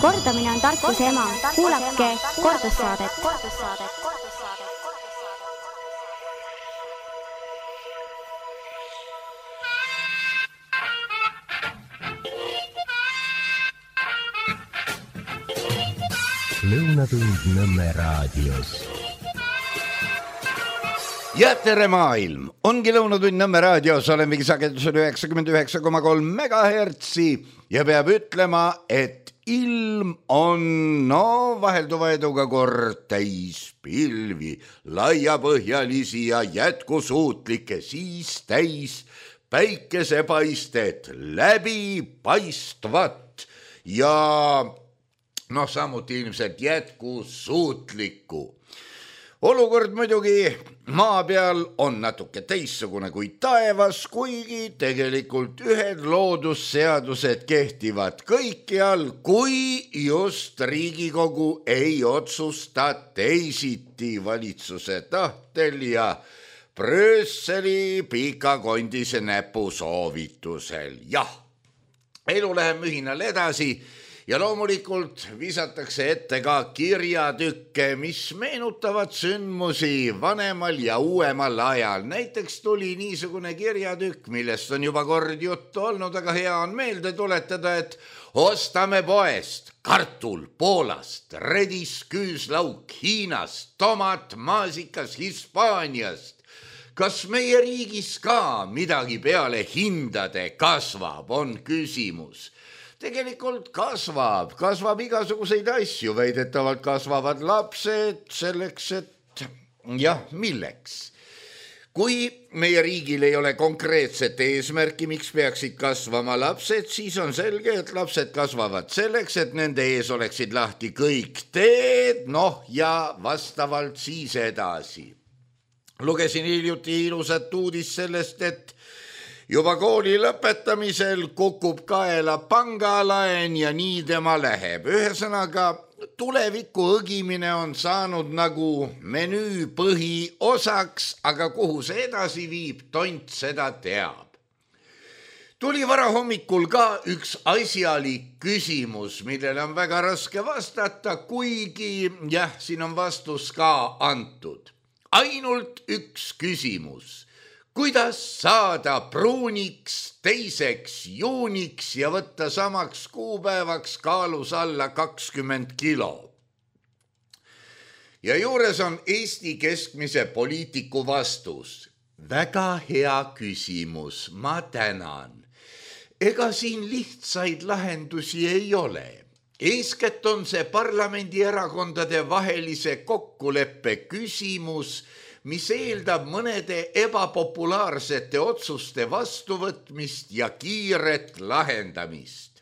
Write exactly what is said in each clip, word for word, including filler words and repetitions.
Kordamine on tarkuse ema. Kuulake kordussaadet. Lõunatund Nõmme raadios. Ja tere maailm! Ongi Lõunatund Nõmme raadios, olemegi sagedusel üheksakümmend üheksa koma kolm megahertsi ja peab ütlema, et ilm on no vahelduva eduga kord täis pilvi, laiapõhjalisi ja jätkusuutlikke, siis täis päikesepaistet, läbipaistvat ja noh, samuti ilmselt jätkusuutlikku. Olukord muidugi maa peal on natuke teissugune kui taevas, kuigi tegelikult ühed loodusseadused kehtivad kõikjal, kui just Riigikogu ei otsusta teisiti valitsuse tahtel ja Brüsseli pikakondise näpu soovitusel. Jah, elu läheb mühinal edasi. Ja loomulikult visatakse ette ka kirjatükke, mis meenutavad sündmusi vanemal ja uuemal ajal. Näiteks tuli niisugune kirjatükk, millest on juba kord juttu olnud, aga hea on meelde tuletada, et ostame poest kartul Poolast, redis küüslauk Hiinast, tomat maasikas Hispaaniast. Kas meie riigis ka midagi peale hindade kasvab, on küsimus. Tegelikult kasvab, kasvab igasuguseid asju, väidetavalt kasvavad lapsed selleks, et jah, milleks. Kui meie riigil ei ole konkreetset eesmärki, miks peaksid kasvama lapsed, siis on selge, et lapsed kasvavad selleks, et nende ees oleksid lahti kõik teed, noh ja vastavalt siis edasi. Lugesin hiljuti ilusat uudist sellest, et juba kooli lõpetamisel kukub kaela pangalaen ja nii tema läheb. Ühesõnaga, tuleviku õgimine on saanud nagu menüü põhiosaks, aga kuhu see edasi viib, tont seda teab. Tuli varahommikul ka üks asjalik küsimus, millele on väga raske vastata, kuigi jah, siin on vastus ka antud. Ainult üks küsimus. Kuidas saada pruuniks teiseks juuniks ja võtta samaks kuupäevaks kaalus alla kakskümmend kilo? Ja juures on Eesti keskmise poliitiku vastus. Väga hea küsimus, ma tänan. Ega siin lihtsaid lahendusi ei ole. Eeskätt on see parlamendierakondade vahelise kokkuleppe küsimus, mis eeldab mõnede ebapopulaarsete otsuste vastuvõtmist ja kiiret lahendamist.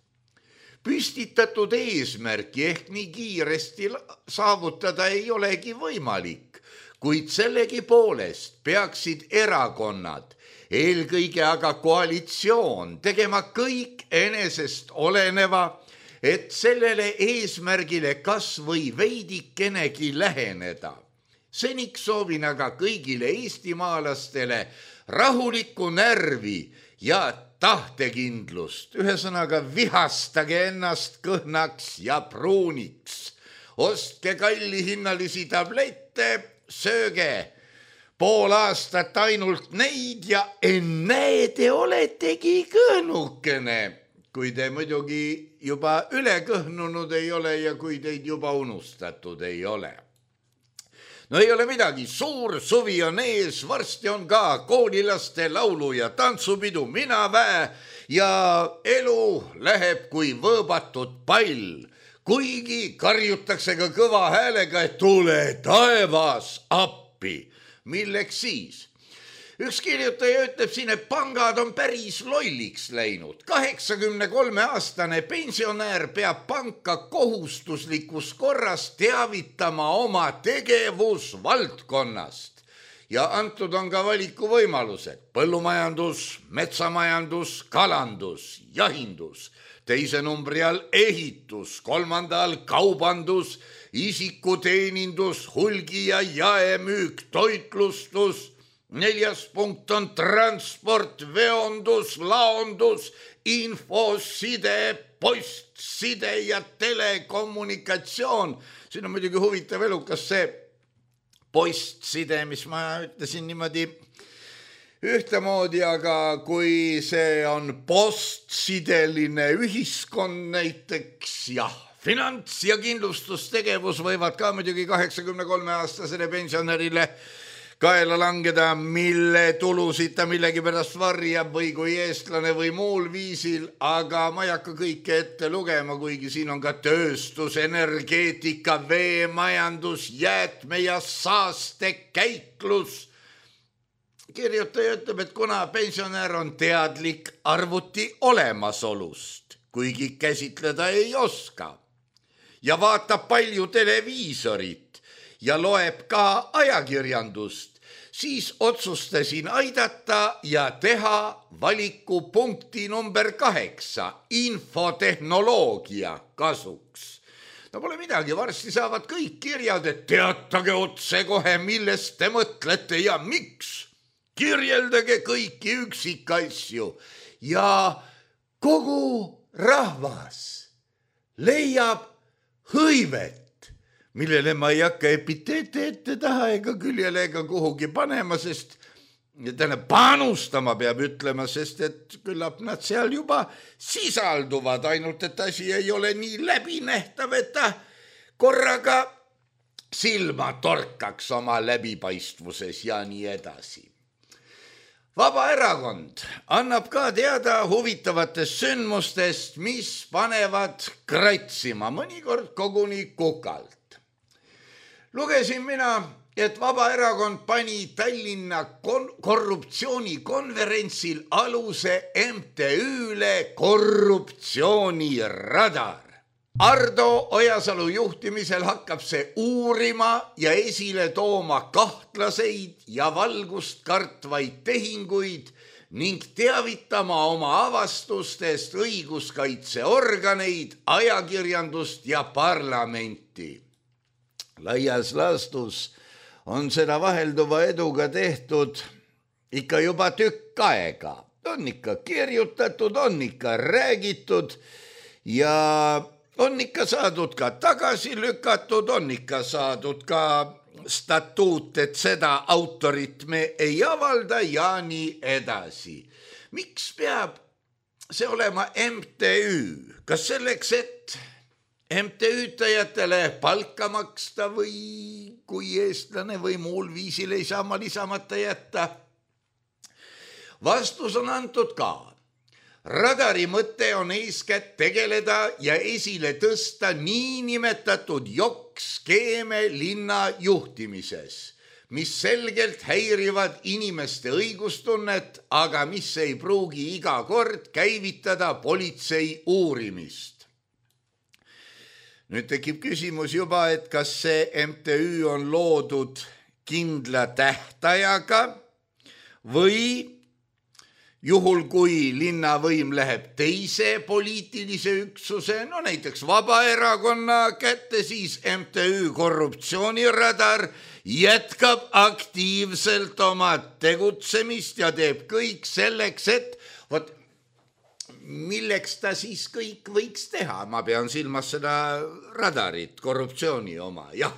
Püstitatud eesmärki ehk nii kiiresti saavutada ei olegi võimalik, kuid sellegi poolest peaksid erakonnad, eelkõige aga koalitsioon, tegema kõik enesest oleneva, et sellele eesmärgile kas või veidikenegi läheneda. Seniks soovin aga kõigile eestimaalastele rahulikku närvi ja tahtekindlust. Ühesõnaga vihastage ennast kõhnaks ja pruuniks. Ostke kallihinnalisi tablette, sööge pool aastat ainult neid ja ennäe te oletegi kõhnukene, kui te muidugi juba ülekõhnunud ei ole ja kui teid juba unustatud ei ole. No ei ole midagi, suur suvi on ees, varsti on ka koolilaste laulu ja tantsupidu mina väe ja elu läheb kui võõbatud pall, kuigi karjutakse ka kõva häälega, et tule taevas appi. Milleks siis? Üks kirjutaja ütleb siin, et pangad on päris lolliks läinud. kaheksakümne kolme aastane pensionäär peab panka kohustuslikus korras teavitama oma tegevusvaldkonnast. Ja antud on ka valikuvõimalused. Põllumajandus, metsamajandus, kalandus, jahindus, teise numbri all ehitus, kolmanda all kaubandus, isikuteenindus, hulgi ja jaemüük, toitlustus, neljas punkt on transport, veondus, laondus, infoside, postside ja telekommunikatsioon. Siin on muidugi huvitav elukas see postside, mis ma ütlesin niimoodi ühtemoodi, aga kui see on postsideline ühiskond näiteks, jah, finants- ja kindlustustegevus võivad ka muidugi kaheksakümne kolme aastasele pensionärile kaela langeda, mille tulusid ta millegi pärast varjab või kui eestlane või muul viisil, aga ma ei hakka kõike ette lugema, kuigi siin on ka tööstus, energeetika, veemajandus, jäätme ja saastekäitlus. Kirjutaja ütleb, et kuna pensionär on teadlik arvuti olemasolust, kuigi käsitleda ei oska, ja vaatab palju televiisorit ja loeb ka ajakirjandust, siis otsustasin aidata ja teha valiku punkti number kaheksa, infotehnoloogia kasuks. No pole midagi, varsti saavad kõik kirjad, et teatage otse kohe, millest te mõtlete ja miks. Kirjeldage kõiki üksikasju ja kogu rahvas leiab hõivet, millele ma ei hakka epiteete ette taha ega küljele ega kuhugi panema, sest täna panustama peab ütlema, sest et küllap nad seal juba sisalduvad, ainult et asi ei ole nii läbinähtav, et ta korraga silma torkaks oma läbipaistvuses ja nii edasi. Vabaerakond annab ka teada huvitavatest sündmustest, mis panevad kratsima, mõnikord koguni kukalt. Lugesin mina, et Vabaerakond pani Tallinna korruptsioonikonverentsil aluse M T Ü-le korruptsiooniradar. Ardo Ojasalu juhtimisel hakkab see uurima ja esile tooma kahtlaseid ja valgust kartvaid tehinguid ning teavitama oma avastustest õiguskaitseorganeid, ajakirjandust ja parlamenti. Laias laastus on seda vahelduva eduga tehtud ikka juba tükk aega. On ikka kirjutatud, on ikka räägitud ja on ikka saadud ka tagasi lükatud, on ikka saadud ka statuut, et seda autorit me ei avalda ja nii edasi. Miks peab see olema M T Ü? Kas selleks, et M T Ü-tajatele palka maksta või kui eestlane või muul viisil ei saa ma lisamata jätta? Vastus on antud ka. Radari mõte on eeskätt tegeleda ja esile tõsta niinimetatud jokk-skeeme linna juhtimises, mis selgelt häirivad inimeste õigustunnet, aga mis ei pruugi iga kord käivitada politsei uurimist. Nüüd tekib küsimus juba, et kas see M T Ü on loodud kindla tähtajaga või juhul, kui linnavõim läheb teise poliitilise üksuse, no näiteks Vabaerakonna kätte, siis M T Ü korruptsiooniradar jätkab aktiivselt oma tegutsemist ja teeb kõik selleks, et võt, milleks ta siis kõik võiks teha. Ma pean silmas seda radarit, korruptsiooni oma, jah.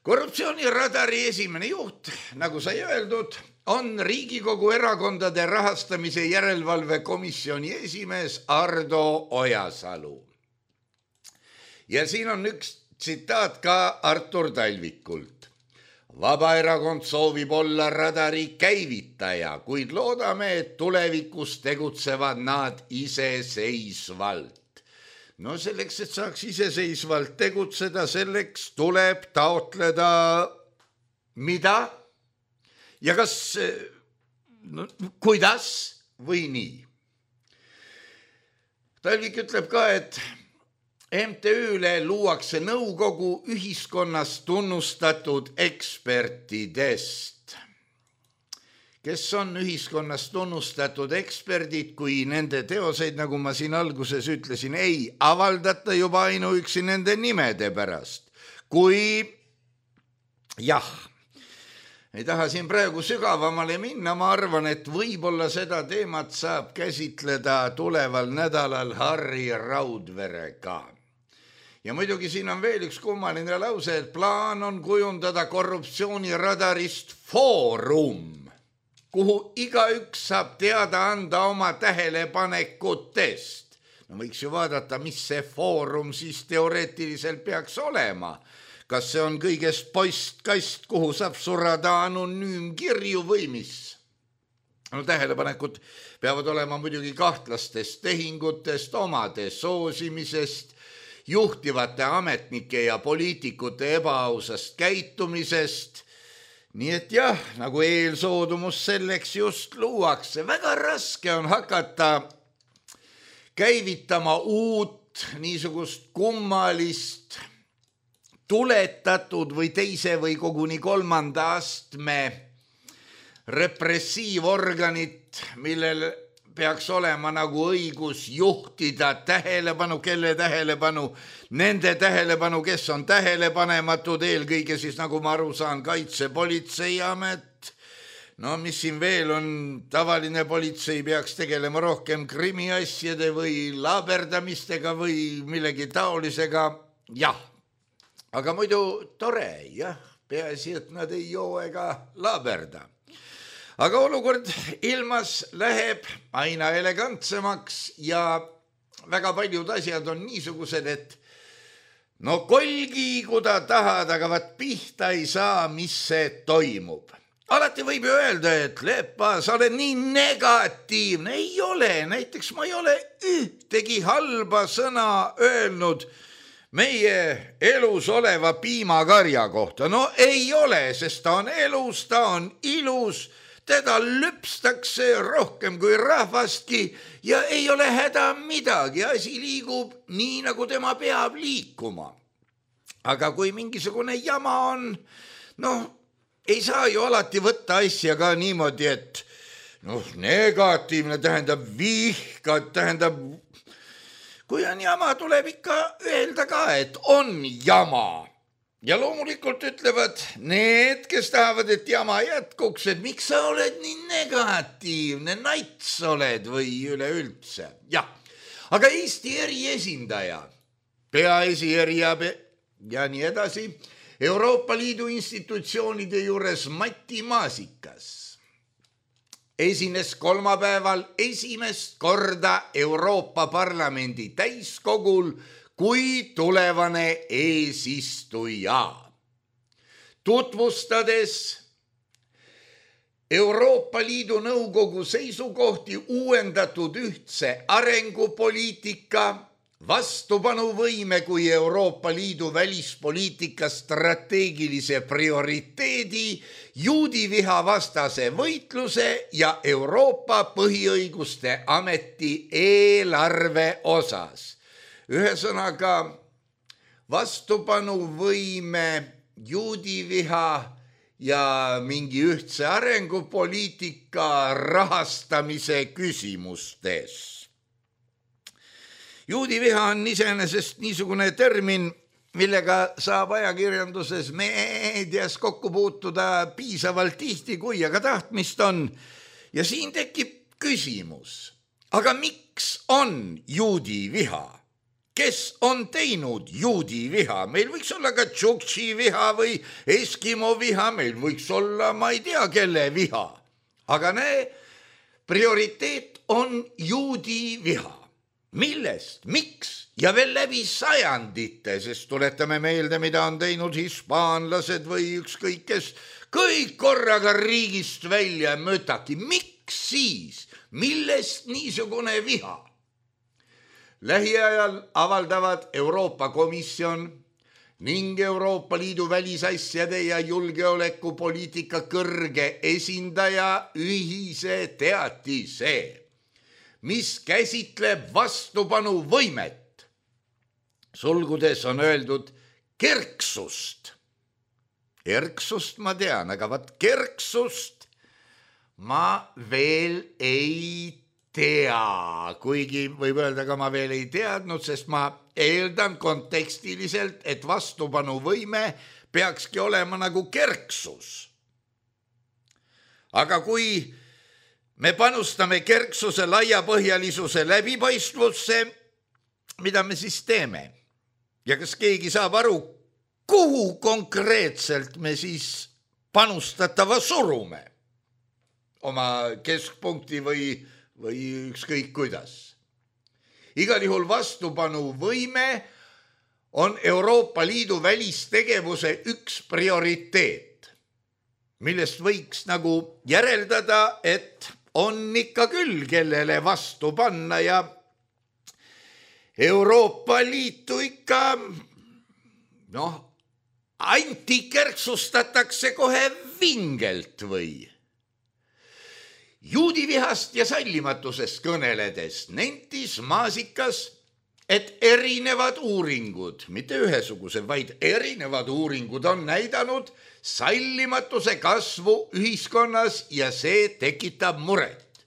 Korruptsiooniradari esimene juht, nagu sai öeldud, on Riigikogu erakondade rahastamise järelevalve komisjoni esimees Ardo Ojasalu. Ja siin on üks tsitaat ka Artur Talvikult. Vabaerakond soovib olla radari käivitaja, kuid loodame, et tulevikus tegutsevad nad iseseisvalt. No selleks, et saaks iseseisvalt tegutseda, selleks tuleb taotleda mida? Ja kas, no, kuidas või nii? Talvik ütleb ka, et M T Ü-le luuakse nõukogu ühiskonnas tunnustatud ekspertidest. Kes on ühiskonnas tunnustatud eksperdid, kui nende teoseid, nagu ma siin alguses ütlesin, ei avaldata juba ainuüksi nende nimede pärast. Kui jah, ei taha siin praegu sügavamale minna, ma arvan, et võib-olla seda teemat saab käsitleda tuleval nädalal Harri Raudverega. Ja muidugi siin on veel üks kummaline lause, et plaan on kujundada korruptsiooniradarist foorum, kuhu igaüks saab teada anda oma tähelepanekutest. No võiks ju vaadata, mis see foorum siis teoreetiliselt peaks olema. Kas see on kõigest postkast, kuhu saab surada anonüümkirju või mis? No tähelepanekud peavad olema muidugi kahtlastest tehingutest, omade soosimisest, juhtivate ametnike ja poliitikute ebaausast käitumisest. Nii et jah, nagu eelsoodumus selleks just luuakse. Väga raske on hakata käivitama uut niisugust kummalist tuletatud või teise või koguni kolmanda astme repressiivorganit, millel peaks olema nagu õigus juhtida tähelepanu, kelle tähelepanu, nende tähelepanu, kes on tähelepanematud, eelkõige siis nagu ma aru saan, Kaitsepolitseiamet. No mis siin veel on, tavaline politsei peaks tegelema rohkem krimiasjade või laberdamistega või millegi taolisega, jah. Aga muidu tore, jah, peaasi, et nad ei joo ega laberda. Aga olukord ilmas läheb aina elegantsemaks ja väga paljud asjad on niisugused, et no kolgi, kuda tahad, aga vaat pihta ei saa, mis see toimub. Alati võib ju öelda, et Lepa, sa oled nii negatiivne. Ei ole, näiteks ma ei ole ühtegi halba sõna öelnud meie elus oleva piimakarja kohta. No ei ole, sest ta on elus, ta on ilus, teda lüpstakse rohkem kui rahvastki ja ei ole häda midagi, asi liigub nii, nagu tema peab liikuma. Aga kui mingisugune jama on, noh, ei saa ju alati võtta asja ka niimoodi, et noh, negatiivne tähendab vihkad, tähendab kui on jama, tuleb ikka öelda ka, et on jama. Ja loomulikult ütlevad need, kes tahavad, et jama jätkuks, et miks sa oled nii negatiivne, nats oled või üleüldse. Jah, aga Eesti eriesindaja, peaesieriabe ja nii edasi, Euroopa Liidu institutsioonide juures Mati Maasikas esines kolmapäeval esimest korda Euroopa Parlamendi täiskogul kui tulevane eesistuja. Tutvustades Euroopa Liidu Nõukogu seisukohti uuendatud ühtse arengupoliitika, vastupanuvõime kui Euroopa Liidu välispoliitika strateegilise prioriteedi, juudiviha vastase võitluse ja Euroopa põhiõiguste ameti eelarve osas. Ühesõnaga vastupanuvõime, juudiviha ja mingi ühtse arengupoliitika rahastamise küsimustes. Juudiviha on iseenesest niisugune termin, millega saab ajakirjanduses meedias kokku puutuda piisavalt tihti, kui aga tahtmist on. Ja siin tekib küsimus, aga miks on juudiviha? Kes on teinud juudiviha? Meil võiks olla ka tšuktši viha või eskimo viha, meil võiks olla, ma ei tea, kelle viha. Aga näe, prioriteet on juudiviha. Millest? Miks? Ja veel läbi sajandite, sest tuletame meelde, mida on teinud hispaanlased või ükskõik kes, kõik korraga riigist välja mõtaki. Miks siis? Millest niisugune viha? Lähiajal avaldavad Euroopa Komisjon ning Euroopa Liidu välisasjade ja julgeolekupoliitika kõrge esindaja ühise teatise, mis käsitleb vastupanuvõimet. Sulgudes on öeldud kerksust. Erksust ma tean, aga vat kerksust ma veel ei tea. Kuigi võib öelda, aga ma veel ei teadnud, sest ma eeldan kontekstiliselt, et vastupanuvõime peakski olema nagu kerksus. aga kui me panustame kerksuse, laiapõhjalisuse, läbipaistvusse, mida me siis teeme? Ja kas keegi saab aru, kuhu konkreetselt me siis panustatava surume oma keskpunkti või, või ükskõik kuidas? Igal juhul vastupanu võime on Euroopa Liidu välistegevuse üks prioriteet, millest võiks nagu järeldada, et on ikka küll, kellele vastu panna ja Euroopa Liitu ikka noh, antikerksustatakse kohe vingelt või. Juudivihast ja sallimatusest kõneledes nentis Maasikas, et erinevad uuringud, mitte ühesugused, vaid erinevad uuringud on näidanud sallimatuse kasvu ühiskonnas ja see tekitab muret.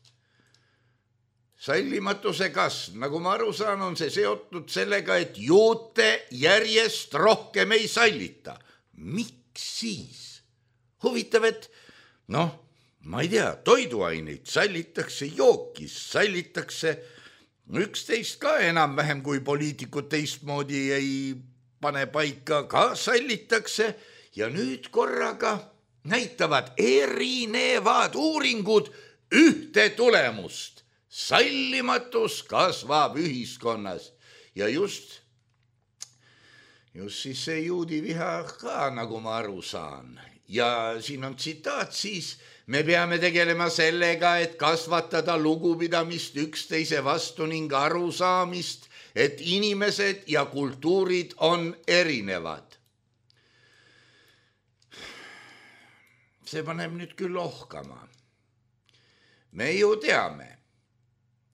Sallimatuse kasv, nagu ma aru saan, on see seotud sellega, et juute järjest rohkem ei sallita. Miks siis? Huvitav, et noh, ma ei tea, toiduaineid sallitakse jookis, sallitakse üksteist ka enam-vähem, kui poliitikud teistmoodi ei pane paika, ka sallitakse ja nüüd korraga näitavad erinevad uuringud ühte tulemust. Sallimatus kasvab ühiskonnas ja just, just siis see juudiviha ka, nagu ma aru saan. Ja siin on tsitaat siis, me peame tegelema sellega, et kasvatada lugupidamist üksteise vastu ning arusaamist, et inimesed ja kultuurid on erinevad. See paneb nüüd küll ohkama. Me ju teame,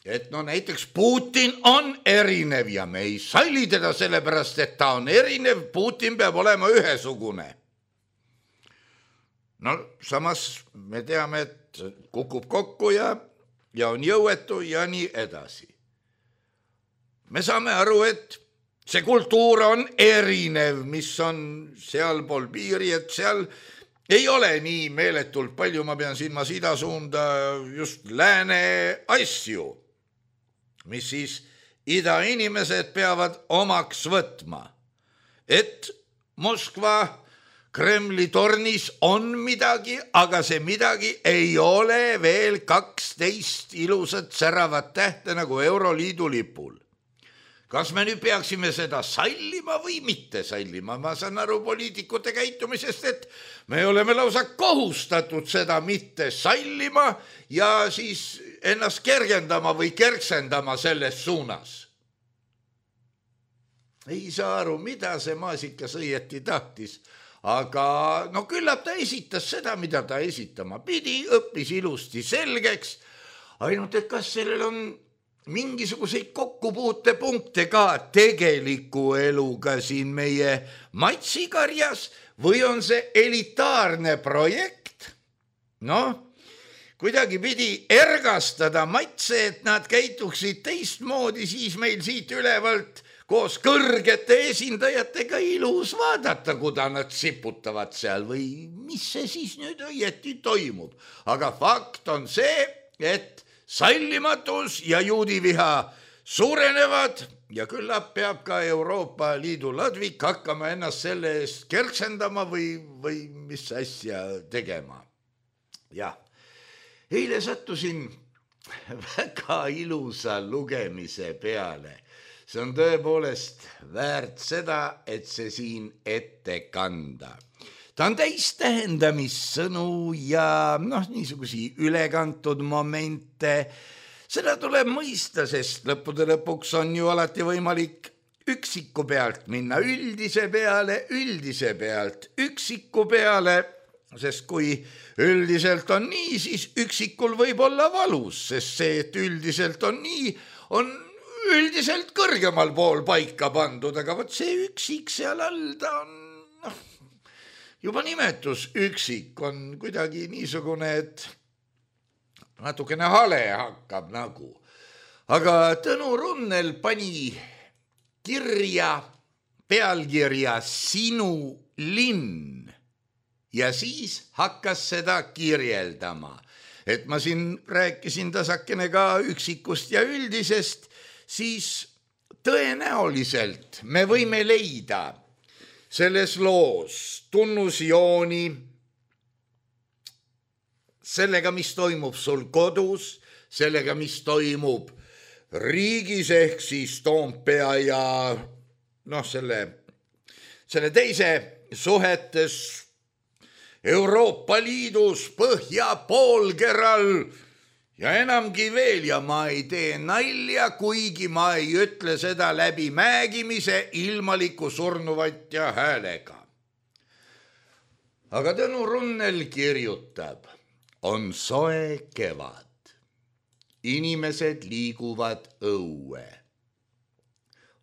et no näiteks Putin on erinev ja me ei salli teda sellepärast, et ta on erinev, Putin peab olema ühesugune. No samas me teame, et kukub kokku ja, ja on jõuetu ja nii edasi. Me saame aru, et see kultuur on erinev, mis on sealpool piiri, et seal ei ole nii meeletult palju, ma pean silmas ida suunda just lääne asju, mis siis ida inimesed peavad omaks võtma, et Moskva Kremli tornis on midagi, aga see midagi ei ole veel kaksteist ilusat säravat tähte nagu Euroliidu lipul. Kas me nüüd peaksime seda sallima või mitte sallima? Ma saan aru poliitikute käitumisest, et me oleme lausa kohustatud seda mitte sallima ja siis ennast kergendama või kerksendama selles suunas. Ei saa aru, mida see Maasikas õieti tahtis, aga no küllap ta esitas seda, mida ta esitama pidi, õppis ilusti selgeks, ainult et kas sellel on mingisuguseid kokkupuutepunkte ka tegeliku eluga siin meie matsikarjas või on see elitaarne projekt? Noh, kuidagi pidi ergastada matse, et nad käituksid teistmoodi, siis meil siit ülevalt koos kõrgete esindajatega ilus vaadata, kuda nad siputavad seal või mis see siis nüüd õieti toimub. Aga fakt on see, et sallimatus ja juudiviha suurenevad ja küllap peab ka Euroopa Liidu ladvik hakkama ennast selle eest kerksendama või, või mis asja tegema. Ja, eile sattusin väga ilusa lugemise peale. See on tõepoolest väärt seda, et see siin ette kanda. Ta on täis tähendamissõnu ja noh, niisugusi ülekantud momente. Seda tuleb mõista, sest lõppude lõpuks on ju alati võimalik üksiku pealt minna üldise peale, üldise pealt üksiku peale, sest kui üldiselt on nii, siis üksikul võib olla valus, sest see, et üldiselt on nii, on üldiselt kõrgemal pool paika pandud, aga võt see üksik seal all ta on, noh, juba nimetus üksik on kuidagi niisugune, et natukene hale hakkab nagu. Aga Tõnu Runnel pani kirja pealkirja Sinu linn. ja siis hakkas seda kirjeldama. Et ma siin rääkisin tasakene ka üksikust ja üldisest, siis tõenäoliselt me võime leida selles loos tunnusjooni sellega, mis toimub sul kodus, sellega, mis toimub riigis ehk siis Toompea ja noh, selle, selle teise suhetes Euroopa Liidus, Põhja poolkeral ja enamgi veel, ja ma ei tee nalja, kuigi ma ei ütle seda läbi määgimise ilmaliku surnuvatja häälega. Aga Tõnu Runnel kirjutab, on soe kevad. Inimesed liiguvad õue.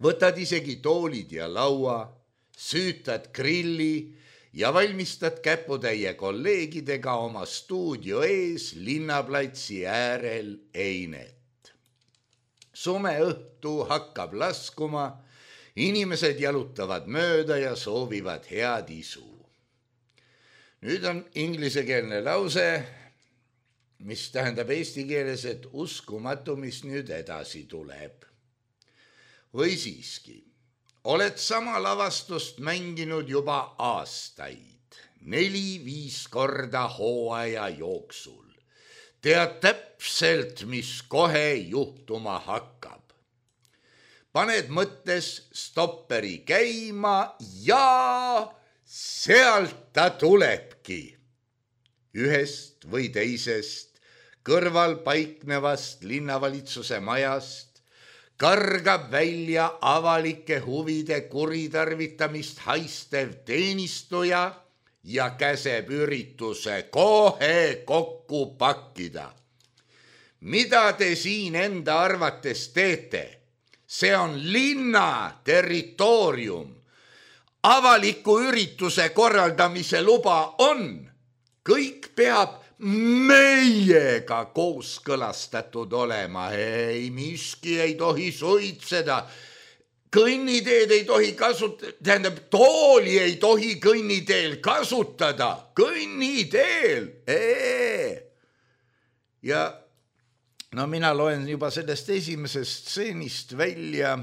Võtad isegi toolid ja laua, süütad grilli ja valmistad käputäie kolleegidega oma stuudio ees linnaplatsi äärel einet. Sume õhtu hakkab laskuma, inimesed jalutavad mööda ja soovivad head isu. Nüüd on inglisekeelne lause, mis tähendab eesti keeles, et uskumatu, mis nüüd edasi tuleb. Või siiski, oled sama lavastust mänginud juba aastaid, neli-viis korda hooaja jooksul. Tead täpselt, mis kohe juhtuma hakkab. Paned mõttes stopperi käima ja sealt ta tulebki. Ühest või teisest kõrval paiknevast linnavalitsuse majast kargab välja avalike huvide kuritarvitamist haistev teenistuja ja käseb ürituse kohe kokku pakkida. Mida te siin enda arvates teete? See on linna territoorium. Avaliku ürituse korraldamise luba on. Kõik peab meiega kooskõlastatud olema. Ei, miski ei tohi suitseda. Kõnniteed ei tohi kasutada, tähendab, tooli ei tohi kõnniteel kasutada. Kõnniteel! Ee. Ja no mina loen juba sellest esimesest stseenist välja,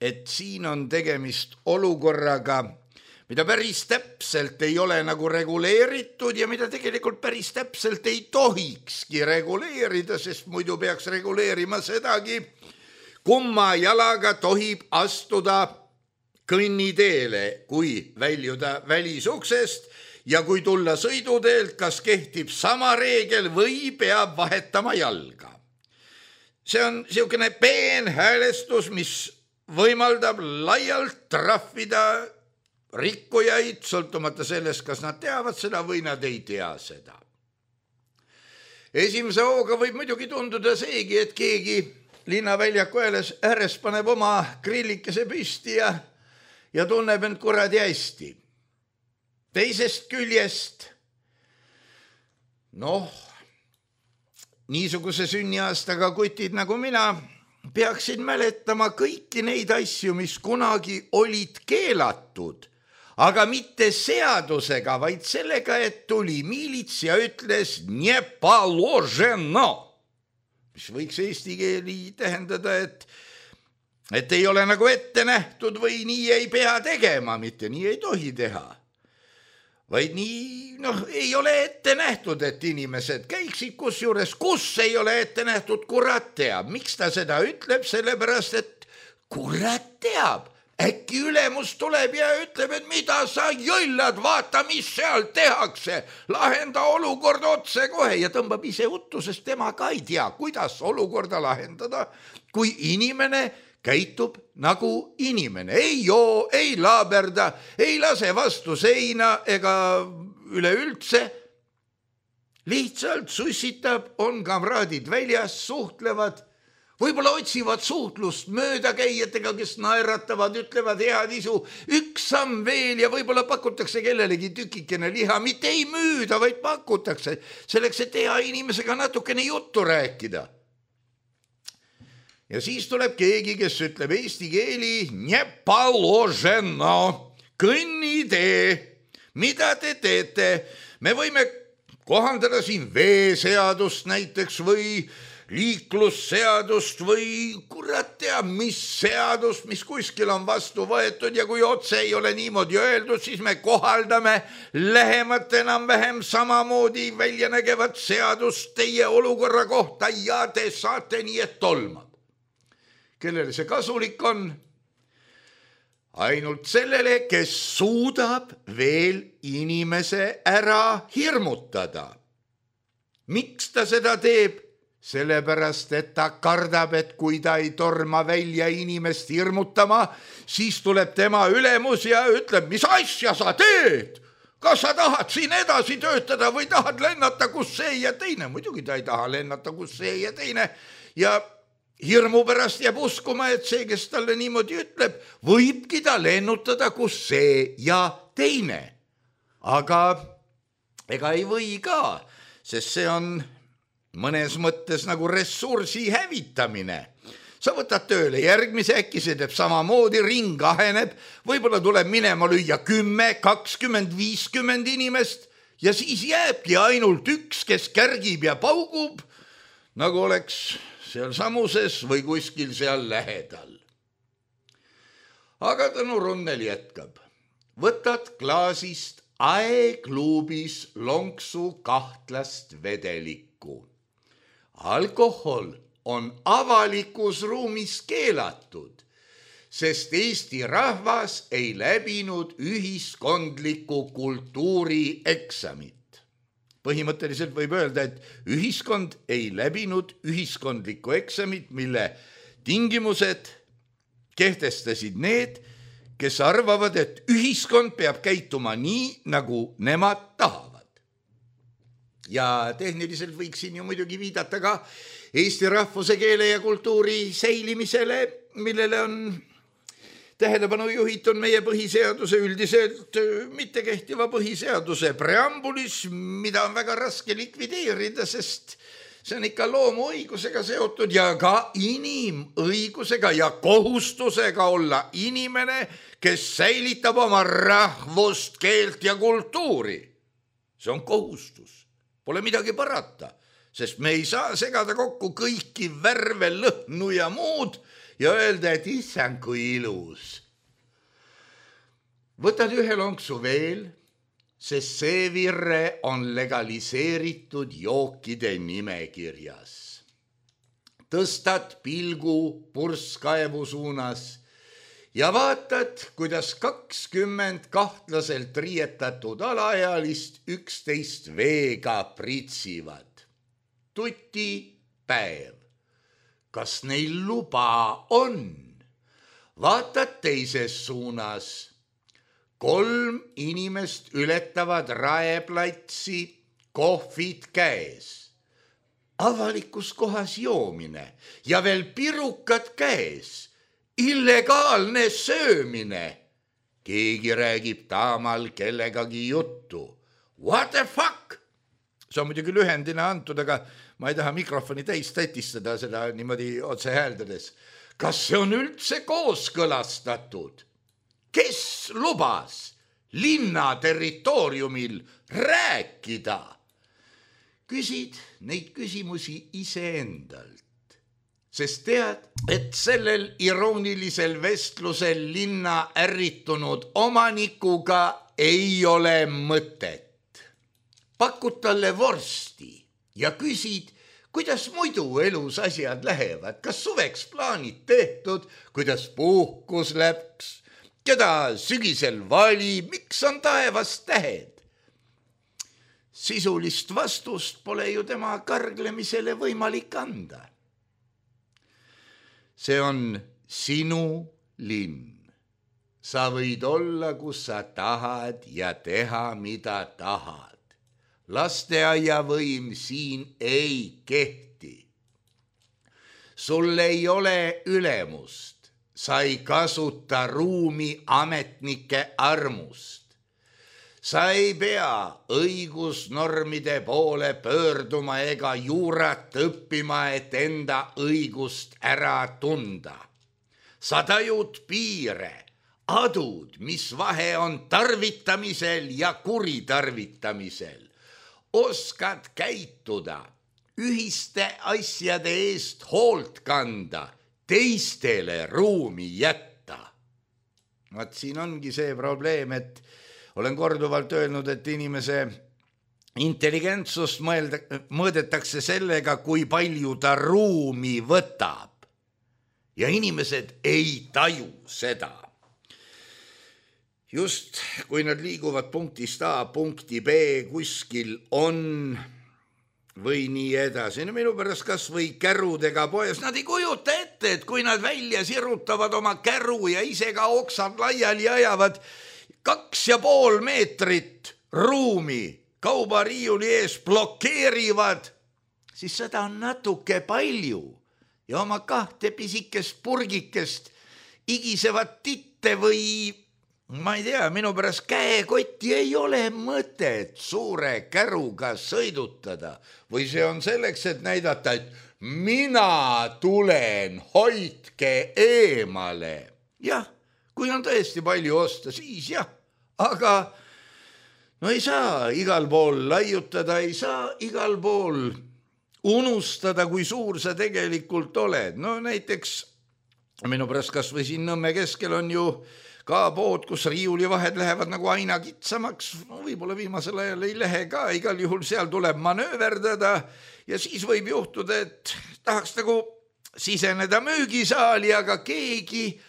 et siin on tegemist olukorraga, mida päris täpselt ei ole nagu reguleeritud ja mida tegelikult päris täpselt ei tohikski reguleerida, sest muidu peaks reguleerima sedagi, kumma jalaga tohib astuda kõnniteele, kui väljuda välisuksest ja kui tulla sõiduteelt, kas kehtib sama reegel või peab vahetama jalga. See on niisugune peen häälestus, mis võimaldab laialt trahvida rikkujaid, sõltumata sellest, kas nad teavad seda või nad ei tea seda. Esimese hooga võib muidugi tunduda seegi, et keegi linnaväljaku ääres paneb oma grillikese püsti ja, ja tunneb end kuradi hästi. Teisest küljest, noh, niisuguse sünniaastaga kutid nagu mina peaksid mäletama kõiki neid asju, mis kunagi olid keelatud, aga mitte seadusega, vaid sellega, et tuli miilits ja ütles nie poложено, mis võiks eesti keeli tähendada, et, et ei ole nagu ette nähtud või nii ei pea tegema, mitte nii ei tohi teha. Vaid nii, noh, ei ole ette nähtud, et inimesed käiksid kusjuures, kus ei ole ette nähtud, kurat teab. Miks ta seda ütleb? Sellepärast, et kurat teab. Äkki ülemus tuleb ja ütleb, et mida sa jõllad, vaata, mis seal tehakse. Lahenda olukord otse kohe ja tõmbab ise uttu, sest tema ka ei tea, kuidas olukorda lahendada, kui inimene käitub nagu inimene. Ei joo, ei laaberda, ei lase vastu seina ega üleüldse. Lihtsalt sussitab, on kamraadid väljas, suhtlevad. Võib-olla otsivad suhtlust möödakäijatega, kes naeratavad, ütlevad head isu, üks samm veel ja võib-olla pakutakse kellelegi tükikene liha, mitte ei müüda, vaid pakutakse, selleks, et hea inimesega natukene juttu rääkida. Ja siis tuleb keegi, kes ütleb eesti keeli, не положено, kõnnitee, mida te teete? Me võime kohandada siin veeseadust näiteks või liiklusseadust või kurat teab, mis seadust, mis kuskil on vastu võetud ja kui otse ei ole niimoodi öeldud, siis me kohaldame lähemat enam-vähem samamoodi väljanägevat seadust teie olukorra kohta ja te saate nii, et tolmab. Kellele see kasulik on? Ainult sellele, kes suudab veel inimese ära hirmutada. Miks ta seda teeb? Sellepärast, et ta kardab, et kui ta ei torma välja inimest hirmutama, siis tuleb tema ülemus ja ütleb, mis asja sa teed? Kas sa tahad siin edasi töötada või tahad lennata, kus see ja teine? Muidugi ta ei taha lennata, kus see ja teine. Ja hirmu pärast jääb uskuma, et see, kes talle niimoodi ütleb, võibki ta lennutada, kus see ja teine. Aga ega ei või ka, sest see on mõnes mõttes nagu ressursi hävitamine. Sa võtad tööle järgmise, äkki see teeb samamoodi, ring aheneb, võib-olla tuleb minema lüüa kümme, kakskümmend, viiskümmend inimest ja siis jääbki ainult üks, kes kärgib ja paugub, nagu oleks seal samuses või kuskil seal lähedal. Aga Tõnu Runnel jätkab. Võtad klaasist aeklubis lonksu kahtlast vedelikku. Alkohol on avalikus ruumis keelatud, sest Eesti rahvas ei läbinud ühiskondliku kultuuri eksamit. Põhimõtteliselt võib öelda, et ühiskond ei läbinud ühiskondlikku eksamit, mille tingimused kehtestasid need, kes arvavad, et ühiskond peab käituma nii, nagu nemad tahavad. Ja tehniliselt võiksin ju muidugi viidata ka Eesti rahvuse, keele ja kultuuri säilimisele, millele on tähelepanu juhitud meie põhiseaduse üldiselt mittekehtiva põhiseaduse preambulis, mida on väga raske likvideerida, sest see on ikka loomuõigusega seotud ja ka inimõigusega ja kohustusega olla inimene, kes säilitab oma rahvust, keelt ja kultuuri. See on kohustus. Pole midagi parata, sest me ei saa segada kokku kõiki värve, lõhnu ja muud ja öelda, et issand kui ilus. Võtad ühe lonksu veel, sest see virre on legaliseeritud jookide nimekirjas. Tõstad pilgu purskkaevu suunas ja vaatad, kuidas kakskümmend kahtlaselt riietatud alaealist üksteist veega pritsivad. Tuti päev. Kas neil luba on? Vaatad teises suunas. Kolm inimest ületavad raeplatsi, kohvid käes. Avalikus kohas joomine ja veel pirukad käes. Illegaalne söömine. Keegi räägib taamal kellegagi juttu. What the fuck? See on muidugi lühendina antud, aga ma ei taha mikrofoni täis tätistada seda niimoodi otse hääldades. Kas see on üldse kooskõlastatud? Kes lubas linna territooriumil rääkida? Küsid neid küsimusi iseendalt. Sest tead, et sellel iroonilisel vestlusel linna ärritunud omanikuga ei ole mõtet. Pakud talle vorsti ja küsid, kuidas muidu elus asjad lähevad, kas suveks plaanid tehtud, kuidas puhkus läks, keda sügisel vali, miks on taevas tähed. Sisulist vastust pole ju tema karglemisele võimalik anda. See on sinu linn. Sa võid olla, kus sa tahad ja teha, mida tahad. Lasteaia võim siin ei kehti. Sul ei ole ülemust. Sa ei kasuta ruumi ametnike armust. Sa ei pea õigusnormide poole pöörduma ega juurat õppima, et enda õigust ära tunda. Sa tajud piire, adud, mis vahe on tarvitamisel ja kuritarvitamisel. Oskad käituda, ühiste asjade eest hoolt kanda, teistele ruumi jätta. Vaat siin ongi see probleem, et olen korduvalt öelnud, et inimese intelligentsust mõelda, mõõdetakse sellega, kui palju ta ruumi võtab. Ja inimesed ei taju seda. Just kui nad liiguvad punktist A punkti B, kuskil on või nii edasi. No minu pärast kas või kärudega poes, nad ei kujuta ette, et kui nad välja sirutavad oma käru ja ise ka oksad laiali ajavad kaks ja pool meetrit ruumi, kaubariiuli ees blokeerivad, siis seda on natuke palju ja oma kahte pisikest purgikest igisevad titte või ma ei tea, minu pärast käekotti ei ole mõtet suure käruga sõidutada või see on selleks, et näidata, et mina tulen, hoidke eemale. Jah, kui on tõesti palju osta, siis jah, aga no ei saa igal pool laiutada, ei saa igal pool unustada, kui suur sa tegelikult oled. No näiteks minu pärast kas või siin Nõmme keskel on ju ka pood, kus riiulivahed lähevad nagu aina kitsamaks, no, võib-olla viimasel ajal ei lähe ka, igal juhul seal tuleb manööverdada ja siis võib juhtuda, et tahaks nagu siseneda müügisaali, aga keegi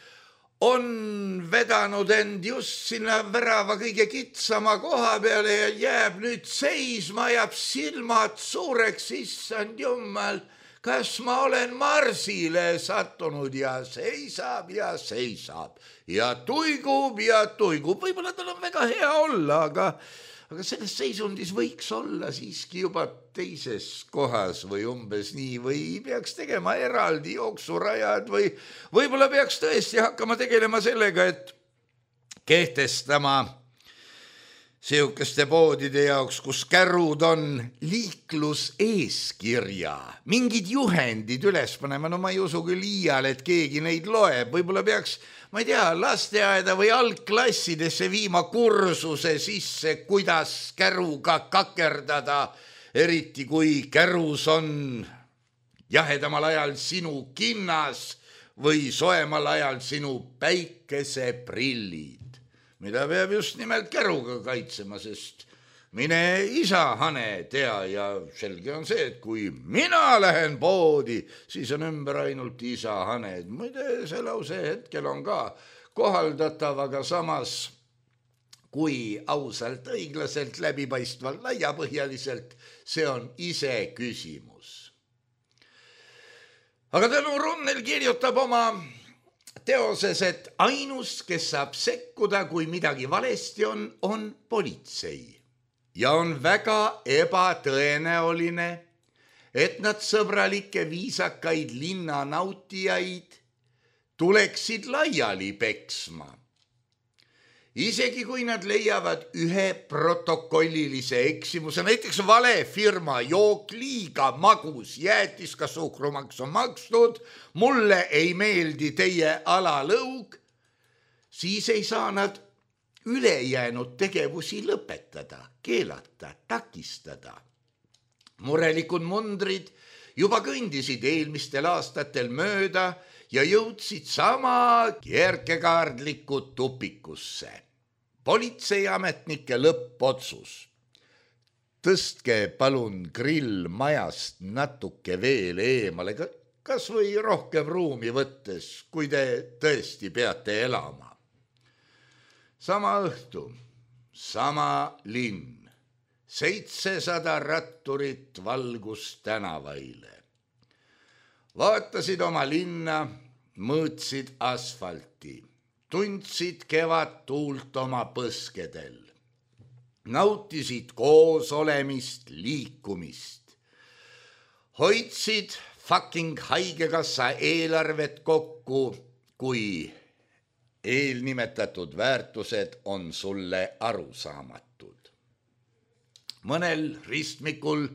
on vedanud end just sinna värava kõige kitsama koha peale ja jääb nüüd seisma, jääb silmad suureks, issand jumal, kas ma olen Marsile sattunud ja seisab ja seisab ja tuigub ja tuigub. Võib-olla tal on väga hea olla, aga, aga selles seisundis võiks olla siiski juba teises kohas või umbes nii või peaks tegema eraldi jooksurajad või võib-olla peaks tõesti hakkama tegelema sellega, et kehtestama sihukeste poodide jaoks, kus kärud on liikluseeskirja, mingid juhendid üles panema, no ma ei usu küll iial, et keegi neid loeb, võib-olla peaks, ma ei tea, lasteaeda või algklassidesse viima kursuse sisse, kuidas käruga kakerdada, eriti kui kärus on jahedamal ajal sinu kinnas või soemal ajal sinu päikeseprillid, mida peab just nimelt käruga kaitsema, sest mine isa hane tea ja selge on see, et kui mina lähen poodi, siis on ümber ainult isa hane. Muide, see lause hetkel on ka kohaldatav, aga samas kui ausalt, õiglaselt, läbipaistvalt, laiapõhjaliselt, see on ise küsimus. Aga Tõnu Runnel kirjutab oma teoses, et ainus, kes saab sekkuda, kui midagi valesti on, on politsei. Ja on väga ebatõenäoline, et nad sõbralikke viisakaid linnanautijaid tuleksid laiali peksma. Isegi kui nad leiavad ühe protokollilise eksimuse, näiteks vale firma jook liiga magus, jäätis ka suhkrumaks on makstud, mulle ei meeldi teie alalõug, siis ei saa nad ülejäänud tegevusi lõpetada, keelata, takistada. Murelikud mundrid juba kõndisid eelmistel aastatel mööda ja jõudsid sama kierkekaardliku tupikusse. Politseiametnike lõppotsus. Tõstke palun grill majast natuke veel eemale, kas või rohkem ruumi võttes, kui te tõesti peate elama. Sama õhtu, sama linn, seitsesada ratturit valgus tänavaile. Vaatasid oma linna, mõõtsid asfalti, tundsid kevad tuult oma põskedel, nautisid koos olemist, liikumist, hoidsid fucking haigekassa eelarvet kokku, kui eelnimetatud väärtused on sulle arusaamatud. Mõnel ristmikul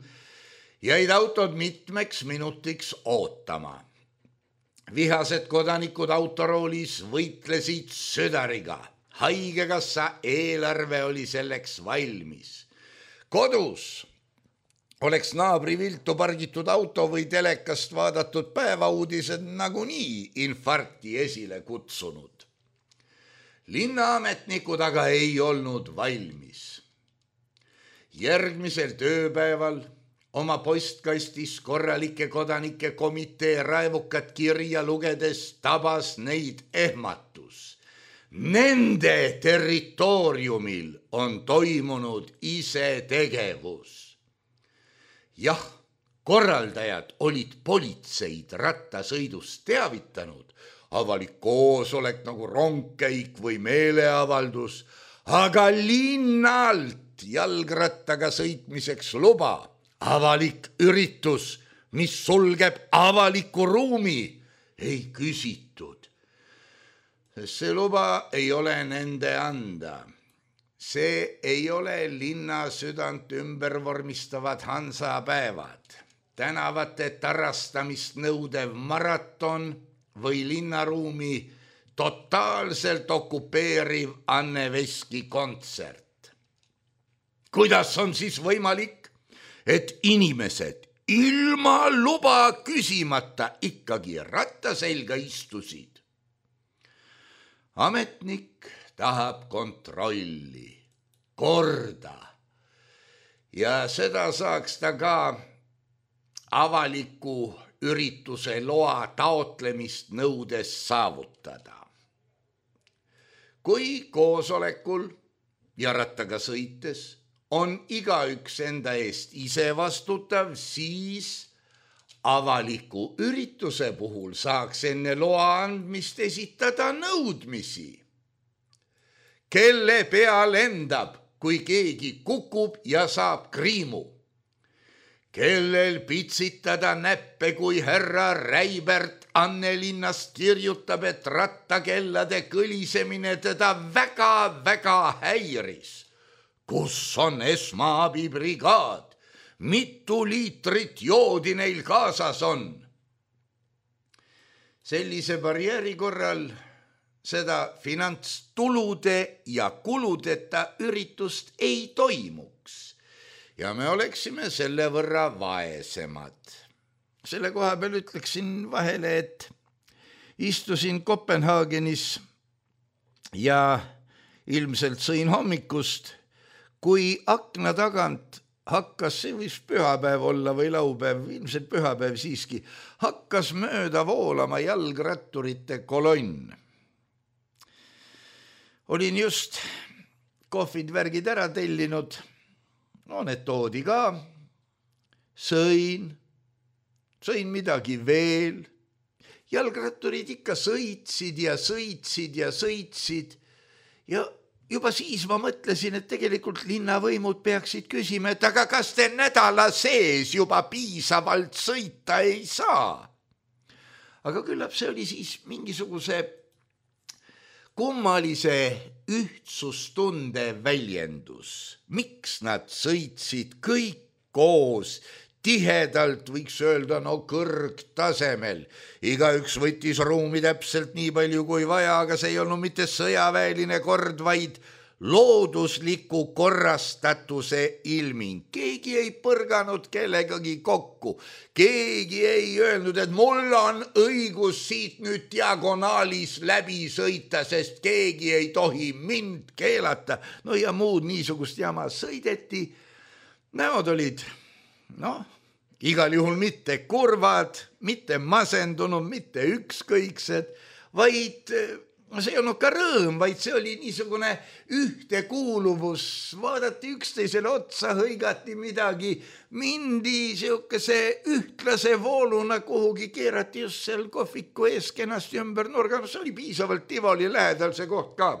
jäid autod mitmeks minutiks ootama. Vihased kodanikud autoroolis võitlesid südariga. Haigekassa eelarve oli selleks valmis. Kodus oleks naabri viltu pargitud auto või telekast vaadatud päevauudised nagunii infarkti esile kutsunud. Linnaametnikud aga ei olnud valmis. Järgmisel tööpäeval oma postkastis korralike kodanike komitee raevukat kirja lugedes tabas neid ehmatus. Nende territooriumil on toimunud isetegevus. Jah, korraldajad olid politseid rattasõidust teavitanud, avalik koosolek nagu rongkäik või meeleavaldus, aga linnalt jalgrattaga sõitmiseks luba, avalik üritus, mis sulgeb avaliku ruumi, ei küsitud. See luba ei ole nende anda. See ei ole linna südant ümber vormistavad hansapäevad, tänavate tarastamist nõudev maraton või linnaruumi totaalselt okupeeriv Anne Veski kontsert. Kuidas on siis võimalik, et inimesed ilma luba küsimata ikkagi rattaselga istusid? Ametnik tahab kontrolli, korda ja seda saaks ta ka avaliku ürituse loa taotlemist nõudes saavutada. Kui koosolekul ja rattaga sõites on igaüks enda eest ise vastutav, siis avaliku ürituse puhul saaks enne loa andmist esitada nõudmisi. Kelle pea lendab, kui keegi kukub ja saab kriimu? Kellel pitsitada näppe, kui härra Räibert Annelinnast kirjutab, et rattakellade kõlisemine teda väga-väga häiris? Kus on esmaabibrigaad? Mitu liitrit joodi neil kaasas on? Sellise barjääri korral seda finantstulude ja kuludeta üritust ei toimuks ja me oleksime selle võrra vaesemad. Selle koha peal ütleksin vahele, et istusin Kopenhaagenis ja ilmselt sõin hommikust, kui akna tagant hakkas, see võis pühapäev olla või laupäev, ilmselt pühapäev siiski, hakkas mööda voolama jalgratturite kolonn. Olin just kohvid värgid ära tellinud, no need toodi ka, sõin, sõin midagi veel, jalgratturid ikka sõitsid ja sõitsid ja sõitsid ja juba siis ma mõtlesin, et tegelikult linnavõimud peaksid küsima, et aga kas te nädala sees juba piisavalt sõita ei saa? Aga küllap see oli siis mingisuguse kummalise ühtsustunde väljendus. Miks nad sõitsid kõik koos, tihedalt võiks öelda, no kõrgtasemel. Igaüks võttis ruumi täpselt nii palju kui vaja, aga see ei olnud mitte sõjaväeline kord, vaid loodusliku korrastatuse ilming. Keegi ei põrganud kellegagi kokku. Keegi ei öelnud, et mul on õigus siit nüüd diagonaalis läbi sõita, sest keegi ei tohi mind keelata. No ja muud niisugust jama sõideti. Näod olid, noh, igal juhul mitte kurvad, mitte masendunud, mitte ükskõiksed, vaid see ei olnud ka rõõm, vaid see oli niisugune ühtekuuluvus, vaadati üksteisele otsa, hõigati midagi, mindi siukese ühtlase vooluna kuhugi, keerati just seal kohviku ees kenasti ümber nurga, no see oli piisavalt Tivoli lähedal see koht ka.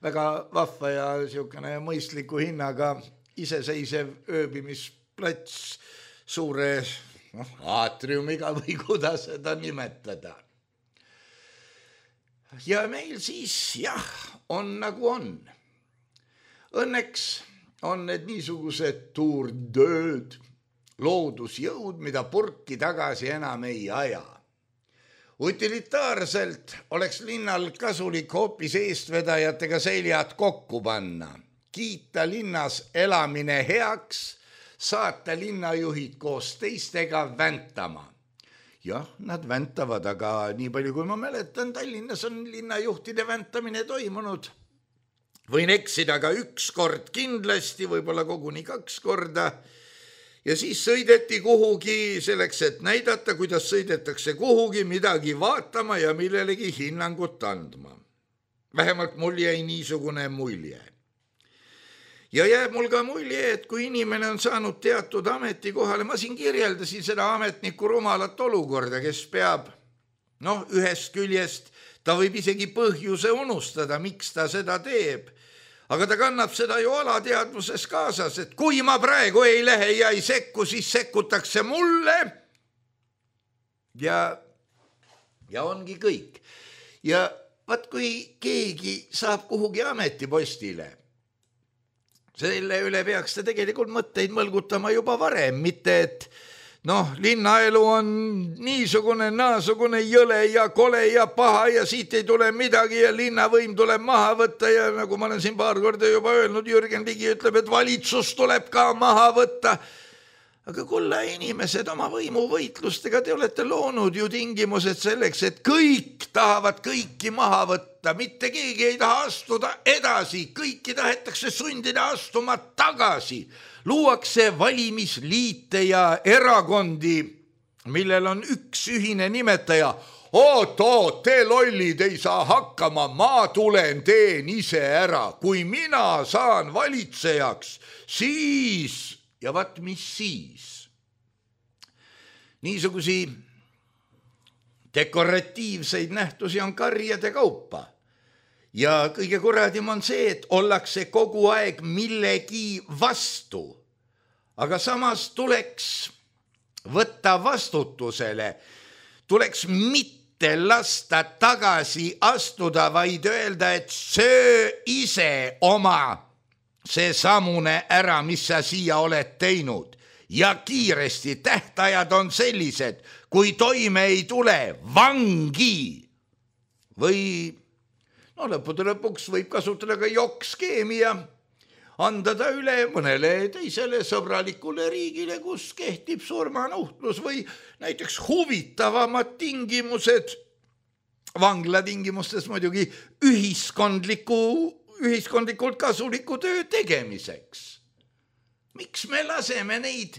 Väga vahva ja siukene mõistliku hinnaga iseseisev ööbimisplats suure noh, aatriumiga või kuidas seda nimetada. Ja meil siis jah, on nagu on. Õnneks on need niisugused tuurdööd, loodusjõud, mida purki tagasi enam ei aja. Utilitaarselt oleks linnal kasulik hoopis eestvedajatega seljad kokku panna, kiita linnas elamine heaks, saata linnajuhid koos teistega väntama. Jah, nad väntavad, aga nii palju kui ma mäletan, Tallinnas on linnajuhtide väntamine toimunud. Võin eksida ka üks kord kindlasti, võib-olla koguni kaks korda. Ja siis sõideti kuhugi selleks, et näidata, kuidas sõidetakse kuhugi midagi vaatama ja millelegi hinnangut andma. Vähemalt mul jäi niisugune mulje. Ja jääb mul ka mulje, et kui inimene on saanud teatud ametikohale, ma siin kirjeldasin seda ametniku rumalat olukorda, kes peab, noh, ühest küljest ta võib isegi põhjuse unustada, miks ta seda teeb. Aga ta kannab seda ju alateadvuses kaasas, et kui ma praegu ei lähe ja ei sekku, siis sekkutakse mulle. Ja, ja ongi kõik. Ja vaat kui keegi saab kuhugi ametipostile, selle üle peaks ta tegelikult mõtteid mõlgutama juba varem, mitte et noh, linnaelu on niisugune, naasugune jõle ja kole ja paha ja siit ei tule midagi ja linnavõim tuleb maha võtta ja nagu ma olen siin paar korda juba öelnud, Jürgen Ligi ütleb, et valitsus tuleb ka maha võtta. Aga kulla inimesed oma võimuvõitlustega, te olete loonud ju tingimused selleks, et kõik tahavad kõiki maha võtta, mitte keegi ei taha astuda edasi, kõiki tahetakse sundida astuma tagasi. Luuakse valimisliite ja erakondi, millel on üks ühine nimetaja. Oot, oot, te lollid ei saa hakkama, ma tulen teen ise ära. Kui mina saan valitsejaks, siis... Ja vaat mis siis? Niisugusi dekoratiivseid nähtusi on karjade kaupa. Ja kõige kuradim on see, et ollakse kogu aeg millegi vastu. Aga samas tuleks võtta vastutusele, tuleks mitte lasta tagasi astuda, vaid öelda, et söö ise oma see samune ära, mis sa siia oled teinud. Ja kiiresti tähtajad on sellised, kui toime ei tule, vangi. Või no lõppude lõpuks võib kasutada ka jokkskeemi ja anda ta üle mõnele teisele sõbralikule riigile, kus kehtib surmanuhtlus või näiteks huvitavamad tingimused, vangla tingimustes muidugi ühiskondliku ühiskondlikult kasuliku töö tegemiseks. Miks me laseme neid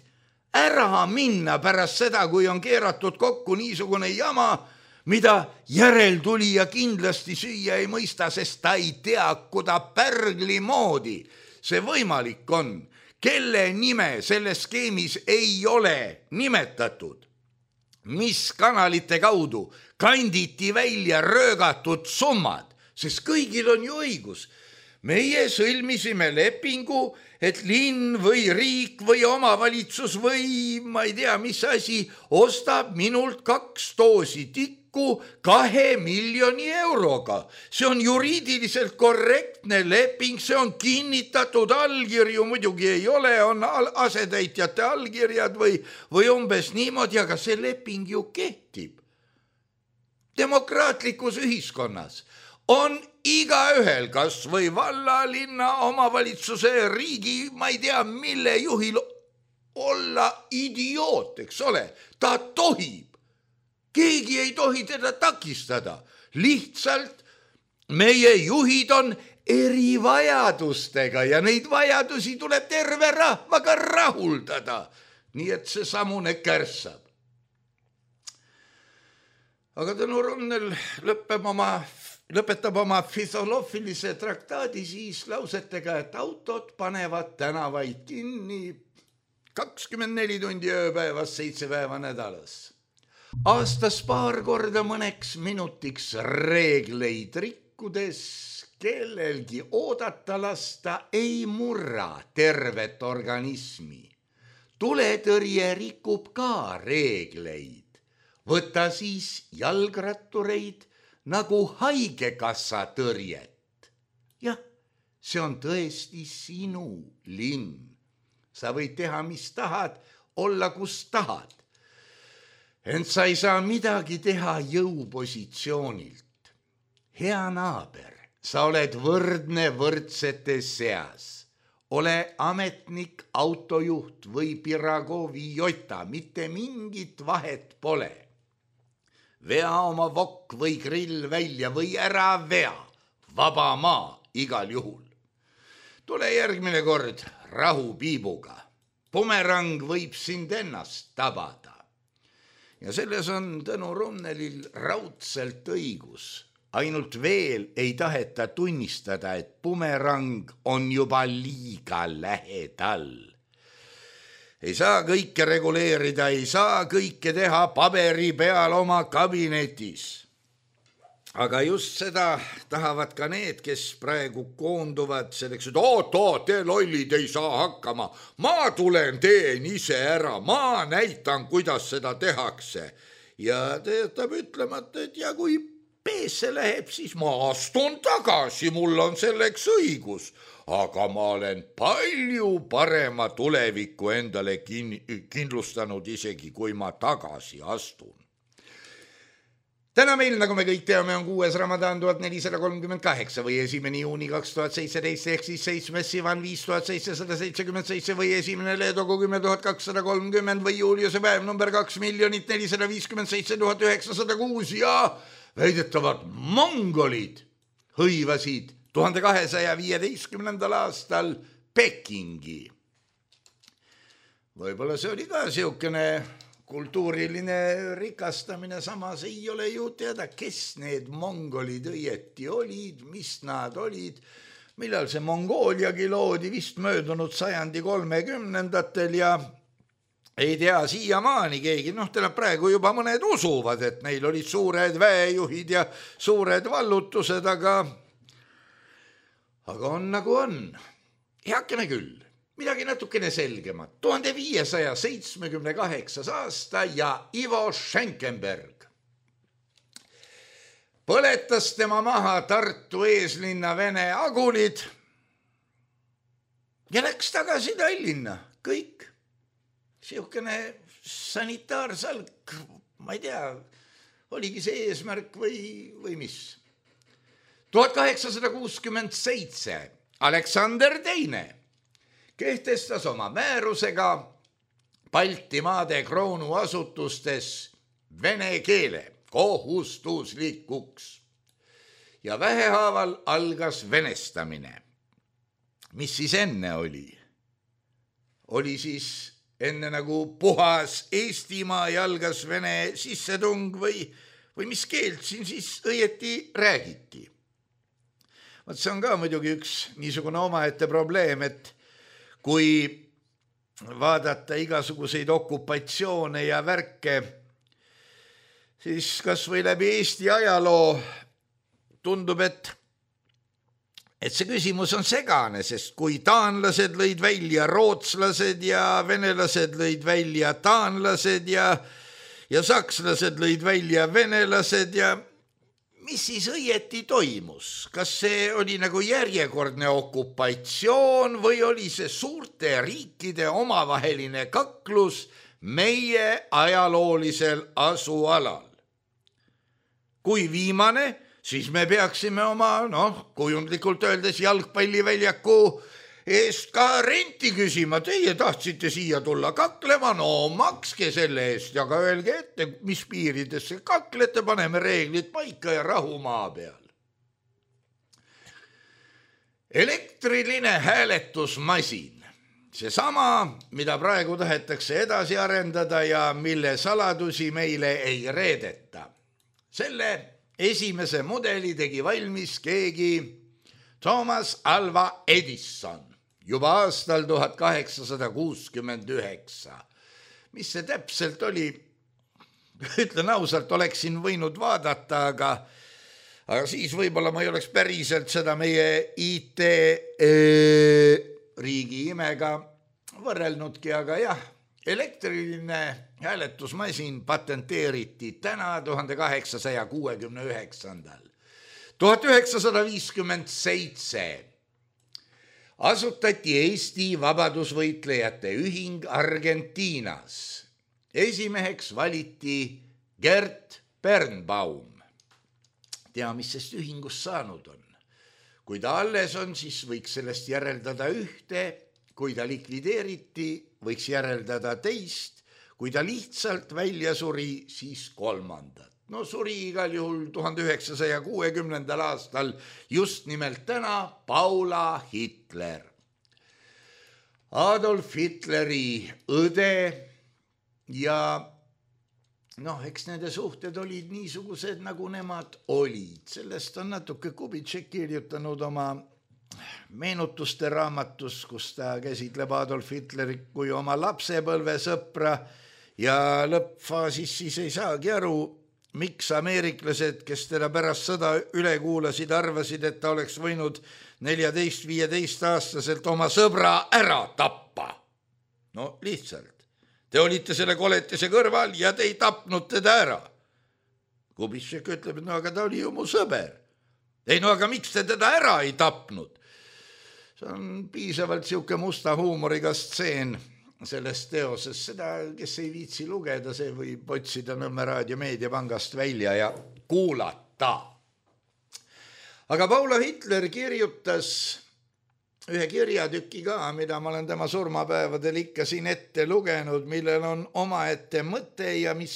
ära minna pärast seda, kui on keeratud kokku niisugune jama, mida järeltulija kindlasti süüa ei mõista, sest ta ei tea, kuda pärgli moodi see võimalik on, kelle nime selles skeemis ei ole nimetatud, mis kanalite kaudu kanditi välja röögatud summad, sest kõigil on ju õigus. Meie sõlmisime lepingu, et linn või riik või omavalitsus või ma ei tea, mis asi ostab minult kaks doosi tikku kahe miljoni euroga. See on juriidiliselt korrektne leping, see on kinnitatud, allkirju muidugi ei ole, on asetäitjate allkirjad või, või umbes niimoodi, aga see leping ju kehtib. Demokraatlikus ühiskonnas on igaühel, kas või valla, linna, omavalitsuse, riigi, ma ei tea, mille juhil olla idioot, eks ole. Ta tohib. Keegi ei tohi teda takistada. Lihtsalt meie juhid on erivajadustega ja neid vajadusi tuleb terve rahvaga rahuldada. Nii et see samune kärssab. Aga Tõnu Runnel lõpeb oma lõpetab oma filoloofilise traktaadi siis lausetega, et autod panevad tänavaid kinni kakskümmend neli tundi ööpäevas, seitse päeva nädalas. Aastas paar korda mõneks minutiks reegleid rikkudes kellelgi oodata lasta ei murra tervet organismi. Tuletõrje rikub ka reegleid. Võta siis jalgrattureid nagu haigekassa tõrjet. Jah, see on tõesti sinu linn. Sa võid teha, mis tahad, olla kus tahad. ent sa ei saa midagi teha jõupositsioonilt. Hea naaber, sa oled võrdne võrdsete seas. Ole ametnik, autojuht või Piragovi jota, mitte mingit vahet pole. Vea oma vokk või grill välja või ära vea, vaba maa igal juhul. Tule järgmine kord rahupiibuga. Bumerang võib sind ennast tabada. Ja selles on Tõnu Runnelil raudselt õigus. Ainult veel ei taheta tunnistada, et bumerang on juba liiga lähedal. Ei saa kõike reguleerida, ei saa kõike teha paberi peal oma kabinetis. Aga just seda tahavad ka need, kes praegu koonduvad selleks, et oot, oot, te lollid ei saa hakkama. Ma tulen teen ise ära, ma näitan, kuidas seda tehakse. Ja töötab ütlemata, et ja kui peesse läheb, siis ma astun tagasi, mul on selleks õigus. Aga ma olen palju parema tuleviku endale kin- kindlustanud isegi, kui ma tagasi astun. Täna meil, nagu me kõik teame, on kuues Ramadan tuhat nelisada kolmkümmend kaheksa või esimene juuni kaks tuhat seitseteist ehk siis seitsmes Sivan viis tuhat seitsesada seitsekümmend seitse või esimene Leedogu kümme tuhat kakssada kolmkümmend või Juliuse päev number kaks miljonit nelisada viiskümmend seitse tuhat üheksasada kuus ja väidetavad mongolid hõivasid tuhande kahesaja viieteistkümnendal aastal Pekingi. Võib-olla see oli ka siukene kultuuriline rikastamine, samas ei ole ju teada, kes need mongolid õieti olid, mis nad olid, millal see Mongooliagi loodi vist möödunud sajandi kolmekümnendatel ja ei tea siiamaani keegi, noh, täna praegu juba mõned usuvad, et neil olid suured väejuhid ja suured vallutused, aga, aga on nagu on. Heakene küll. Midagi natukene selgemat. tuhande viiesaja seitsmekümne kaheksas aasta ja Ivo Schenkenberg põletas tema maha Tartu eeslinna Vene agulid ja läks tagasi Tallinna. Kõik. Siukene sanitaarsalk, ma ei tea, oligi see eesmärk või, või mis. tuhat kaheksasada kuuskümmend seitse Aleksander teine kehtestas oma määrusega Baltimaade kroonuasutustes vene keele kohustuslikuks ja vähehaaval algas venestamine. Mis siis enne oli? Oli siis enne nagu puhas Eestimaa ja algas vene sissetung või, või mis keelt siin siis õieti räägiti? Vaat see on ka muidugi üks niisugune omaette probleem, et kui vaadata igasuguseid okupatsioone ja värke, siis kas või läbi Eesti ajaloo tundub, et, et see küsimus on segane, sest kui taanlased lõid välja rootslased ja venelased lõid välja taanlased ja, ja sakslased lõid välja venelased ja mis siis õieti toimus? Kas see oli nagu järjekordne okupatsioon või oli see suurte riikide omavaheline kaklus meie ajaloolisel asualal? Kui viimane, siis me peaksime oma, noh, kujundlikult öeldes jalgpalliväljaku eest ka renti küsima. Teie tahtsite siia tulla kaklema, no makske selle eest ja ka öelge ette, mis piiridesse kaklete, paneme reeglid paika ja rahu maa peal. Elektriline hääletusmasin, seesama, mida praegu tahetakse edasi arendada ja mille saladusi meile ei reedeta. Selle esimese mudeli tegi valmis keegi Thomas Alva Edison juba aastal tuhat kaheksasada kuuskümmend üheksa. Mis see täpselt oli? Ütlen ausalt, oleksin võinud vaadata, aga, aga siis võib-olla ma ei oleks päriselt seda meie I T riigi imega võrrelnudki, aga jah, elektriline hääletusmasin patenteeriti täna tuhande kaheksasaja kuuekümne üheksandal. tuhat üheksasada viiskümmend seitse asutati Eesti vabadusvõitlejate ühing Argentiinas esimeheks valiti Gert Bernbaum. Tea, mis sest ühingust saanud on. Kui ta alles on, siis võiks sellest järeldada ühte, kui ta likvideeriti, võiks järeldada teist, kui ta lihtsalt välja suri, siis kolmandat. No suri igal juhul tuhande üheksasaja kuuekümnendal aastal just nimelt täna Paula Hitler. Adolf Hitleri õde ja noh, eks nende suhted olid niisugused, nagu nemad olid. Sellest on natuke Kubitšek kirjutanud oma meenutuste raamatus, kus ta käsitleb Adolf Hitleri kui oma lapsepõlve sõpra ja lõppfaasis siis ei saagi aru, miks ameeriklased, kes teda pärast sõda üle kuulasid, arvasid, et ta oleks võinud neljateist viieteist aastaselt oma sõbra ära tappa. No lihtsalt. Te olite selle koletise kõrval ja te ei tapnud teda ära. Kubitšek ütleb, et no aga ta oli ju mu sõber. Ei no aga miks te teda ära ei tapnud? See on piisavalt siuke musta huumoriga stseen sellest teoses. Seda, kes ei viitsi lugeda, see võib otsida Nõmme Raadio meediapangast välja ja kuulata. Aga Paula Hitler kirjutas ühe kirjatüki ka, mida ma olen tema surmapäevadel ikka siin ette lugenud, millel on omaette mõte ja mis,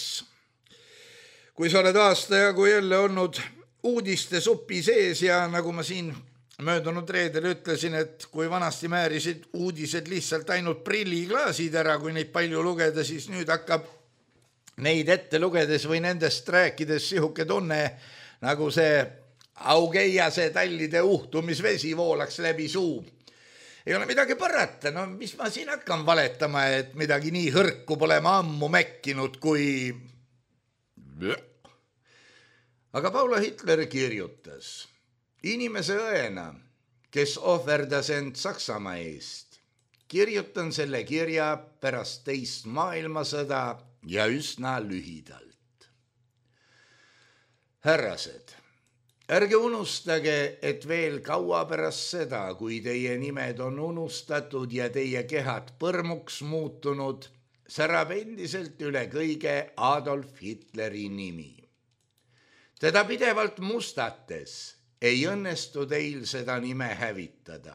kui sa oled aasta jagu jälle olnud uudiste supi sees ja nagu ma siin möödunud reedel ütlesin, et kui vanasti määrisid uudised lihtsalt ainult prilliklaasid ära, kui neid palju lugeda, siis nüüd hakkab neid ette lugedes või nendest rääkides sihuke tunne, nagu see augeiase tallide uhtumisvesi voolaks läbi suu. Ei ole midagi parata, no mis ma siin hakkan valetama, et midagi nii hõrku pole ma ammu mäkkinud kui... Aga Paula Hitler kirjutas... Inimese õena, kes ohverdas end Saksamaa eest, kirjutan selle kirja pärast teist maailmasõda ja üsna lühidalt. Härrased, ärge unustage, et veel kaua pärast seda, kui teie nimed on unustatud ja teie kehad põrmuks muutunud, särab endiselt üle kõige Adolf Hitleri nimi. Teda pidevalt mustates ei õnnestu teil seda nime hävitada.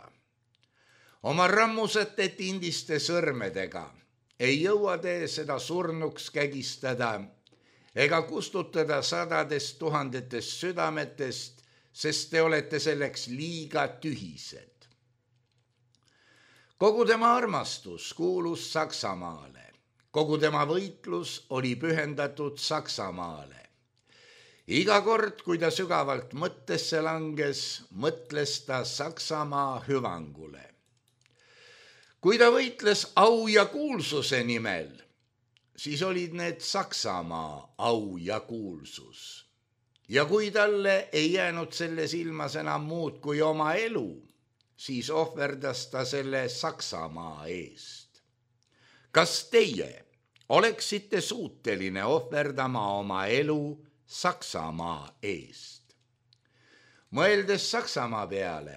Oma rammusete tindiste sõrmedega ei jõua te seda surnuks kägistada ega kustutada sadadest tuhandetest südametest, sest te olete selleks liiga tühised. Kogu tema armastus kuulus Saksamaale. Kogu tema võitlus oli pühendatud Saksamaale. Iga kord, kui ta sügavalt mõttesse langes, mõtles ta Saksamaa hüvangule. Kui ta võitles au ja kuulsuse nimel, siis olid need Saksamaa au ja kuulsus. Ja kui talle ei jäänud selles ilmas enam muud kui oma elu, siis ohverdas ta selle Saksamaa eest. Kas teie oleksite suuteline ohverdama oma elu Saksamaa eest? Mõeldes Saksamaa peale,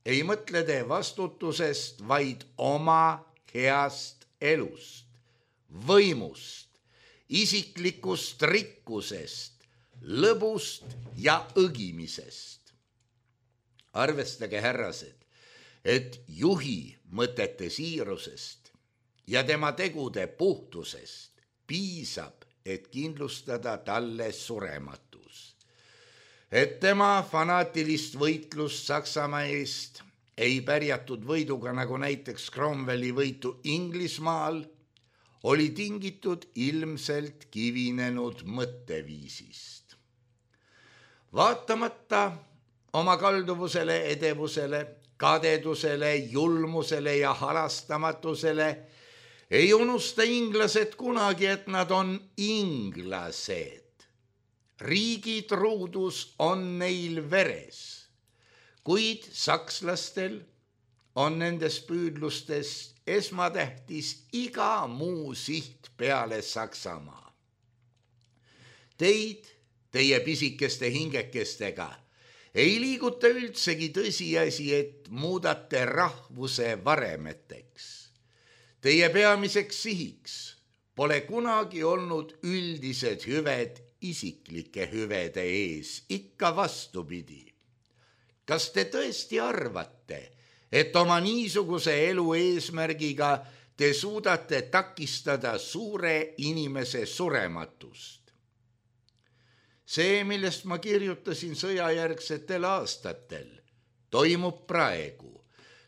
ei mõtle te vastutusest, vaid oma heast elust, võimust, isiklikust rikkusest, lõbust ja õgimisest. Arvestage, härrased, et juhi mõtete siirusest ja tema tegude puhtusest piisab, et kindlustada talle surematus. Et tema fanaatilist võitlust Saksamaa eest ei pärjatud võiduga, nagu näiteks Cromwelli võitu Inglismaal, oli tingitud ilmselt kivinenud mõtteviisist. Vaatamata oma kalduvusele, edevusele, kadedusele, julmusele ja halastamatusele ei unusta inglased kunagi, et nad on inglased. Riigi truudus on neil veres, kuid sakslastel on nendes püüdlustes esmatähtis iga muu siht peale Saksamaa. Teid, teie pisikeste hingekestega, ei liiguta üldsegi tõsiasi, et muudate rahvuse varemeteks. Teie peamiseks sihiks pole kunagi olnud üldised hüved isiklike hüvede ees, ikka vastupidi. Kas te tõesti arvate, et oma niisuguse elu eesmärgiga te suudate takistada suure inimese surematust? See, millest ma kirjutasin sõjajärgsetel aastatel, toimub praegu,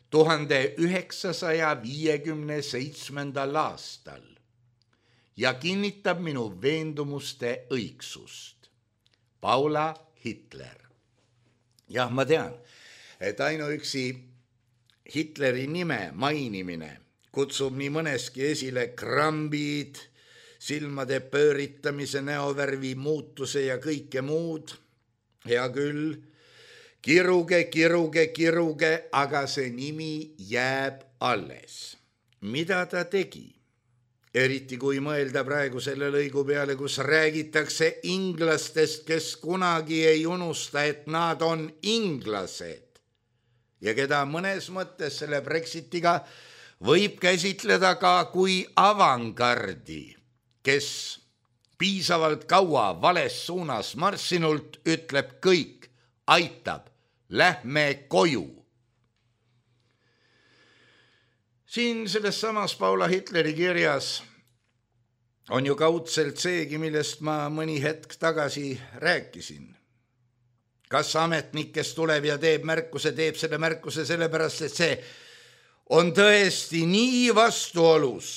tuhande üheksasaja viiekümne seitsmendal aastal ja kinnitab minu veendumuste õigsust. Paula Hitler. Jah, ma tean, et ainuüksi Hitleri nime mainimine kutsub nii mõneski esile krambid, silmade pööritamise, näovärvi muutuse ja kõike muud. Hea küll, kiruge, kiruge, kiruge, aga see nimi jääb alles. Mida ta tegi? Eriti kui mõelda praegu selle lõigu peale, kus räägitakse inglastest, kes kunagi ei unusta, et nad on inglased ja keda mõnes mõttes selle Brexitiga võib käsitleda ka kui avangardi, kes piisavalt kaua vales suunas marssinult ütleb kõik, aitab, lähme koju. Siin selles samas Paula Hitleri kirjas on ju kaudselt seegi, millest ma mõni hetk tagasi rääkisin. Kas ametnik, kes tuleb ja teeb märkuse, teeb selle märkuse sellepärast, et see on tõesti nii vastuolus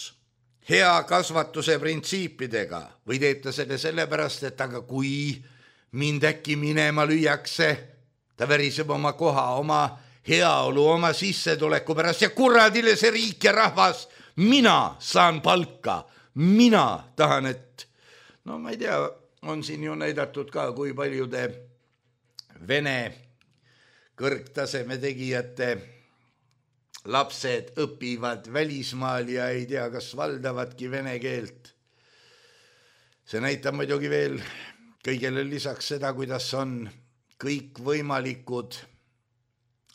hea kasvatuse printsiipidega või teeb ta selle sellepärast, et aga kui mind äkki minema lüüakse, ta väriseb oma koha, oma heaolu, oma sissetuleku pärast ja kuradile see riik ja rahvas, mina saan palka, mina tahan, et no ma ei tea, on siin ju näidatud ka, kui paljude Vene kõrgtaseme tegijate lapsed õpivad välismaal ja ei tea, kas valdavadki vene keelt. See näitab muidugi veel kõigele lisaks seda, kuidas on kõik võimalikud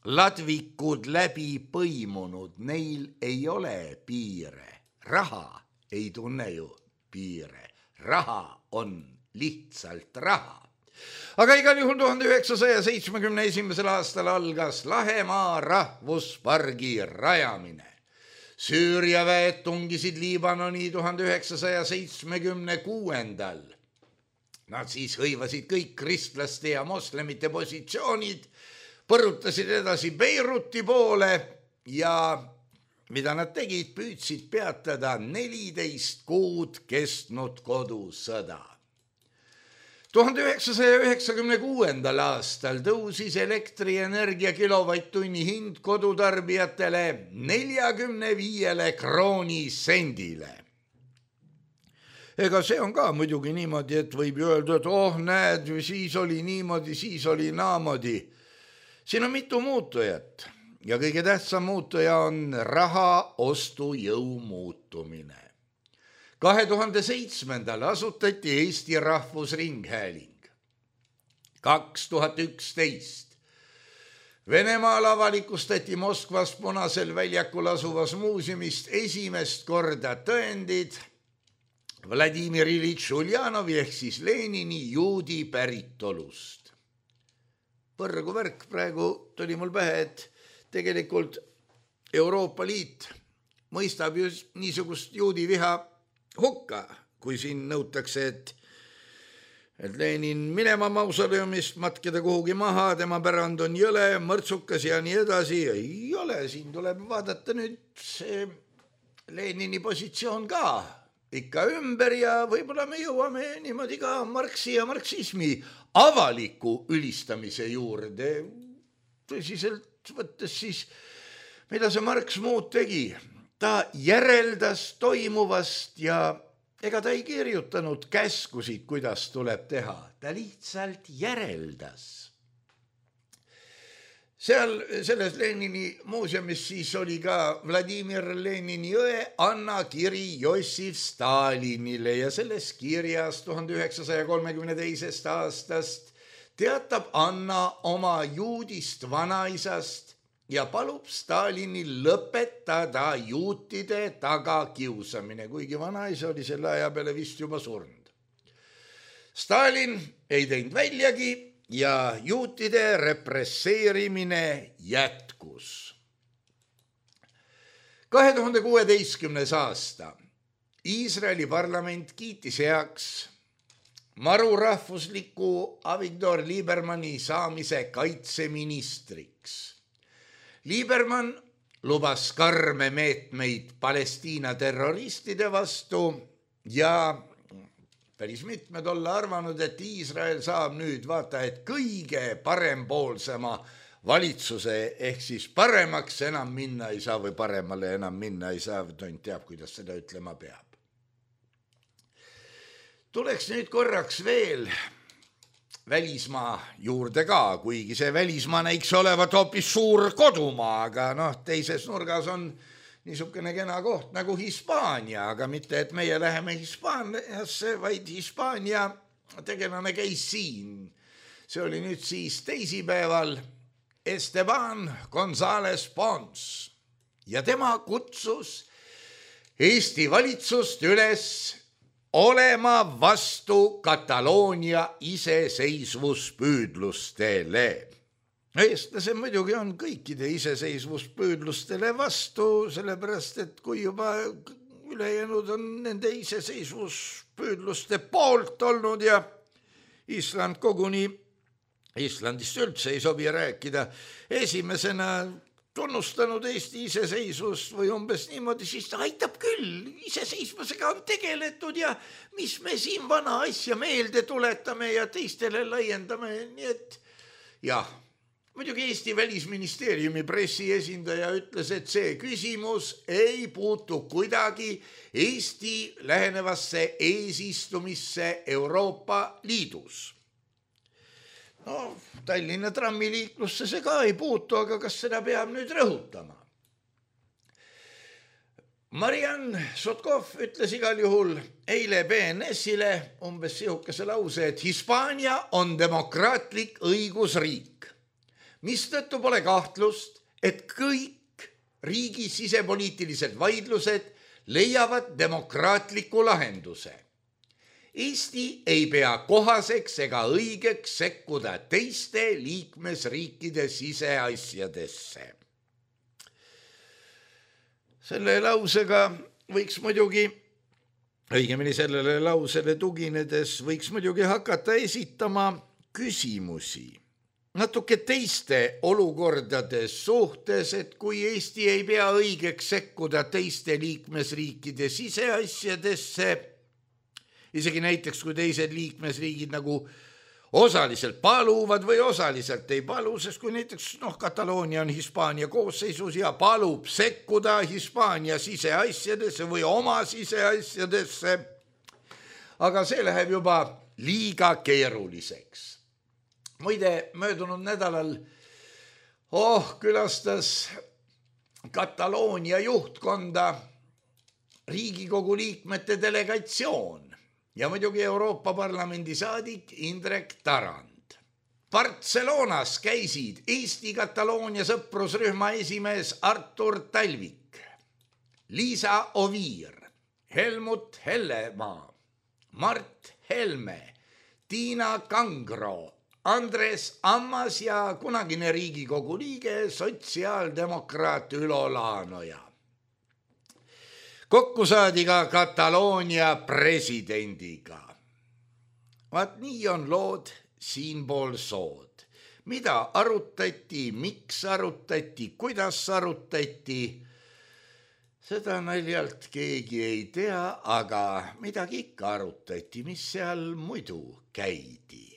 ladvikud läbi põimunud, neil ei ole piire. Raha ei tunne ju piire. Raha on lihtsalt raha. Aga igal juhul tuhande üheksasaja seitsmekümne esimesel aastal algas Lahemaa rahvuspargi rajamine. Süüria väed tungisid Liibanoni tuhande üheksasaja seitsmekümne kuuendal. Nad siis hõivasid kõik kristlaste ja moslemite positsioonid, põrutasid edasi Beiruti poole ja mida nad tegid, püüdsid peatada neliteist kuud kestnud kodusõda. tuhande üheksasaja üheksakümne kuuendal aastal tõusis elektrienergia kilovatt-tunni hind kodutarbijatele neljakümne viiele krooni sendile. Ega see on ka muidugi niimoodi, et võib öelda, et oh näed, siis oli niimoodi, siis oli naamodi. Siin on mitu muutujat ja kõige tähtsam muutuja on raha ostujõu muutumine. kahe tuhande seitsmendal asutati Eesti Rahvusringhääling. kaks tuhat üksteist Venemaal avalikustati Moskvas Punasel väljakul asuvas muuseumist esimest korda tõendid Vladimir Ilitš Uljanovi ehk siis Lenini juudi päritolust. Põrgu värk praegu tuli mul pähe, et tegelikult Euroopa Liit mõistab ju niisugust juudi viha hukka, kui siin nõutakse, et, et Lenin minema mausoleumist, matkida kuhugi maha, tema pärand on jõle, mõrtsukas ja nii edasi. Ei ole, siin tuleb vaadata nüüd see Lenini positsioon ka ikka ümber ja võib-olla me jõuame niimoodi ka Marxi ja marksismi avaliku ülistamise juurde. Tõsiselt võttes siis, mida see Marx muud tegi? Ta järeldas toimuvast ja ega ta ei kirjutanud käskusid, kuidas tuleb teha. Ta lihtsalt järeldas. Seal selles Lenini muuseumis siis oli ka Vladimir Lenini õe Anna kiri Jossif Stalinile ja selles kirjas tuhande üheksasaja kolmekümne teisest aastast teatab Anna oma juudist vanaisast ja palub Stalinil lõpetada juutide tagakiusamine, kuigi vanaisa oli selle aja peale vist juba surnud. Stalin ei teinud väljagi ja juutide represseerimine jätkus. kahe tuhande kuueteistkümnes aasta Iisraeli parlament kiitis heaks marurahvusliku Avigdor Liebermanni saamise kaitseministriks. Liebermann lubas karme meetmeid Palestiina terroristide vastu ja päris mitmed olla arvanud, et Iisrael saab nüüd vaata, et kõige parempoolsema valitsuse ehk siis paremaks enam minna ei saa või paremale enam minna ei saa, tont teab, kuidas seda ütlema peab. Tuleks nüüd korraks veel välismaa juurde ka, kuigi see välismaa näiks olevat hoopis suur kodumaa, aga noh, teises nurgas on niisugune kena koht nagu Hispaania, aga mitte, et meie läheme Hispaaniasse, vaid Hispaania tegelane käis siin. See oli nüüd siis teisipäeval Esteban González Pons ja tema kutsus Eesti valitsust üles olema vastu Kataloonia iseseisvuspüüdlustele. Eestlased muidugi on kõikide iseseisvuspüüdlustele vastu, sellepärast, et kui juba ülejäänud on nende iseseisvuspüüdluste poolt olnud ja Island koguni, Islandist üldse ei sobi rääkida, esimesena tunnustanud Eesti iseseisvust või umbes niimoodi, siis ta aitab küll, iseseisvusega on tegeletud ja mis me siin vana asja meelde tuletame ja teistele laiendame, nii et jah, muidugi Eesti välisministeeriumi pressiesindaja ütles, et see küsimus ei puutu kuidagi Eesti lähenevasse eesistumisse Euroopa Liidus. No, Tallinna trammiliiklusse see ka ei puutu, aga kas seda peab nüüd rõhutama? Mariann Sotkov ütles igal juhul eile B N S-ile umbes sihukese lause, et Hispaania on demokraatlik õigusriik, mistõttu pole kahtlust, et kõik riigi sisepoliitilised vaidlused leiavad demokraatliku lahenduse. Eesti ei pea kohaseks ega õigeks sekkuda teiste liikmesriikide siseasjadesse. Selle lausega võiks muidugi, õigemini sellele lausele tuginedes võiks muidugi hakata esitama küsimusi natuke teiste olukordade suhtes, et kui Eesti ei pea õigeks sekkuda teiste liikmesriikide siseasjadesse, isegi näiteks, kui teised liikmesriigid nagu osaliselt paluvad või osaliselt ei palu, sest kui näiteks noh, Kataloonia on Hispaania koosseisus ja palub sekkuda Hispaania siseasjadesse või oma siseasjadesse, aga see läheb juba liiga keeruliseks. Muide, möödunud nädalal oh, külastas Kataloonia juhtkonda Riigikogu liikmete delegatsioon ja muidugi Euroopa Parlamendi saadik Indrek Tarand. Barcelonas käisid Eesti-Kataloonia sõprusrühma esimees Artur Talvik, Liisa Oviir, Helmut Hellemaa, Mart Helme, Tiina Kangro, Andres Ammas ja kunagine Riigikogu liige sotsiaaldemokraat Ülo Laanoja. Kokku saadi ka Kataloonia presidendiga. Vaat nii on lood siinpool sood. Mida arutati, miks arutati, kuidas arutati, seda naljalt keegi ei tea, aga midagi ikka arutati, mis seal muidu käidi.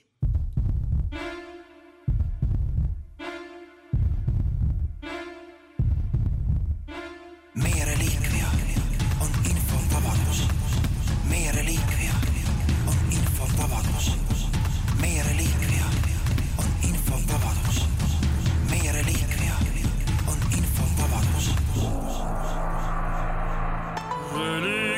Meie reliikvia on infotavadus. Meie reliikvia on infotavadus. Meie reliikvia on infotavadus. Meie reliikvia on infotavadus. Reliikvia.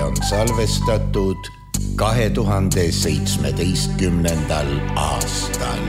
on salvestatud kahe tuhande seitsmeteistkümnendal aastal.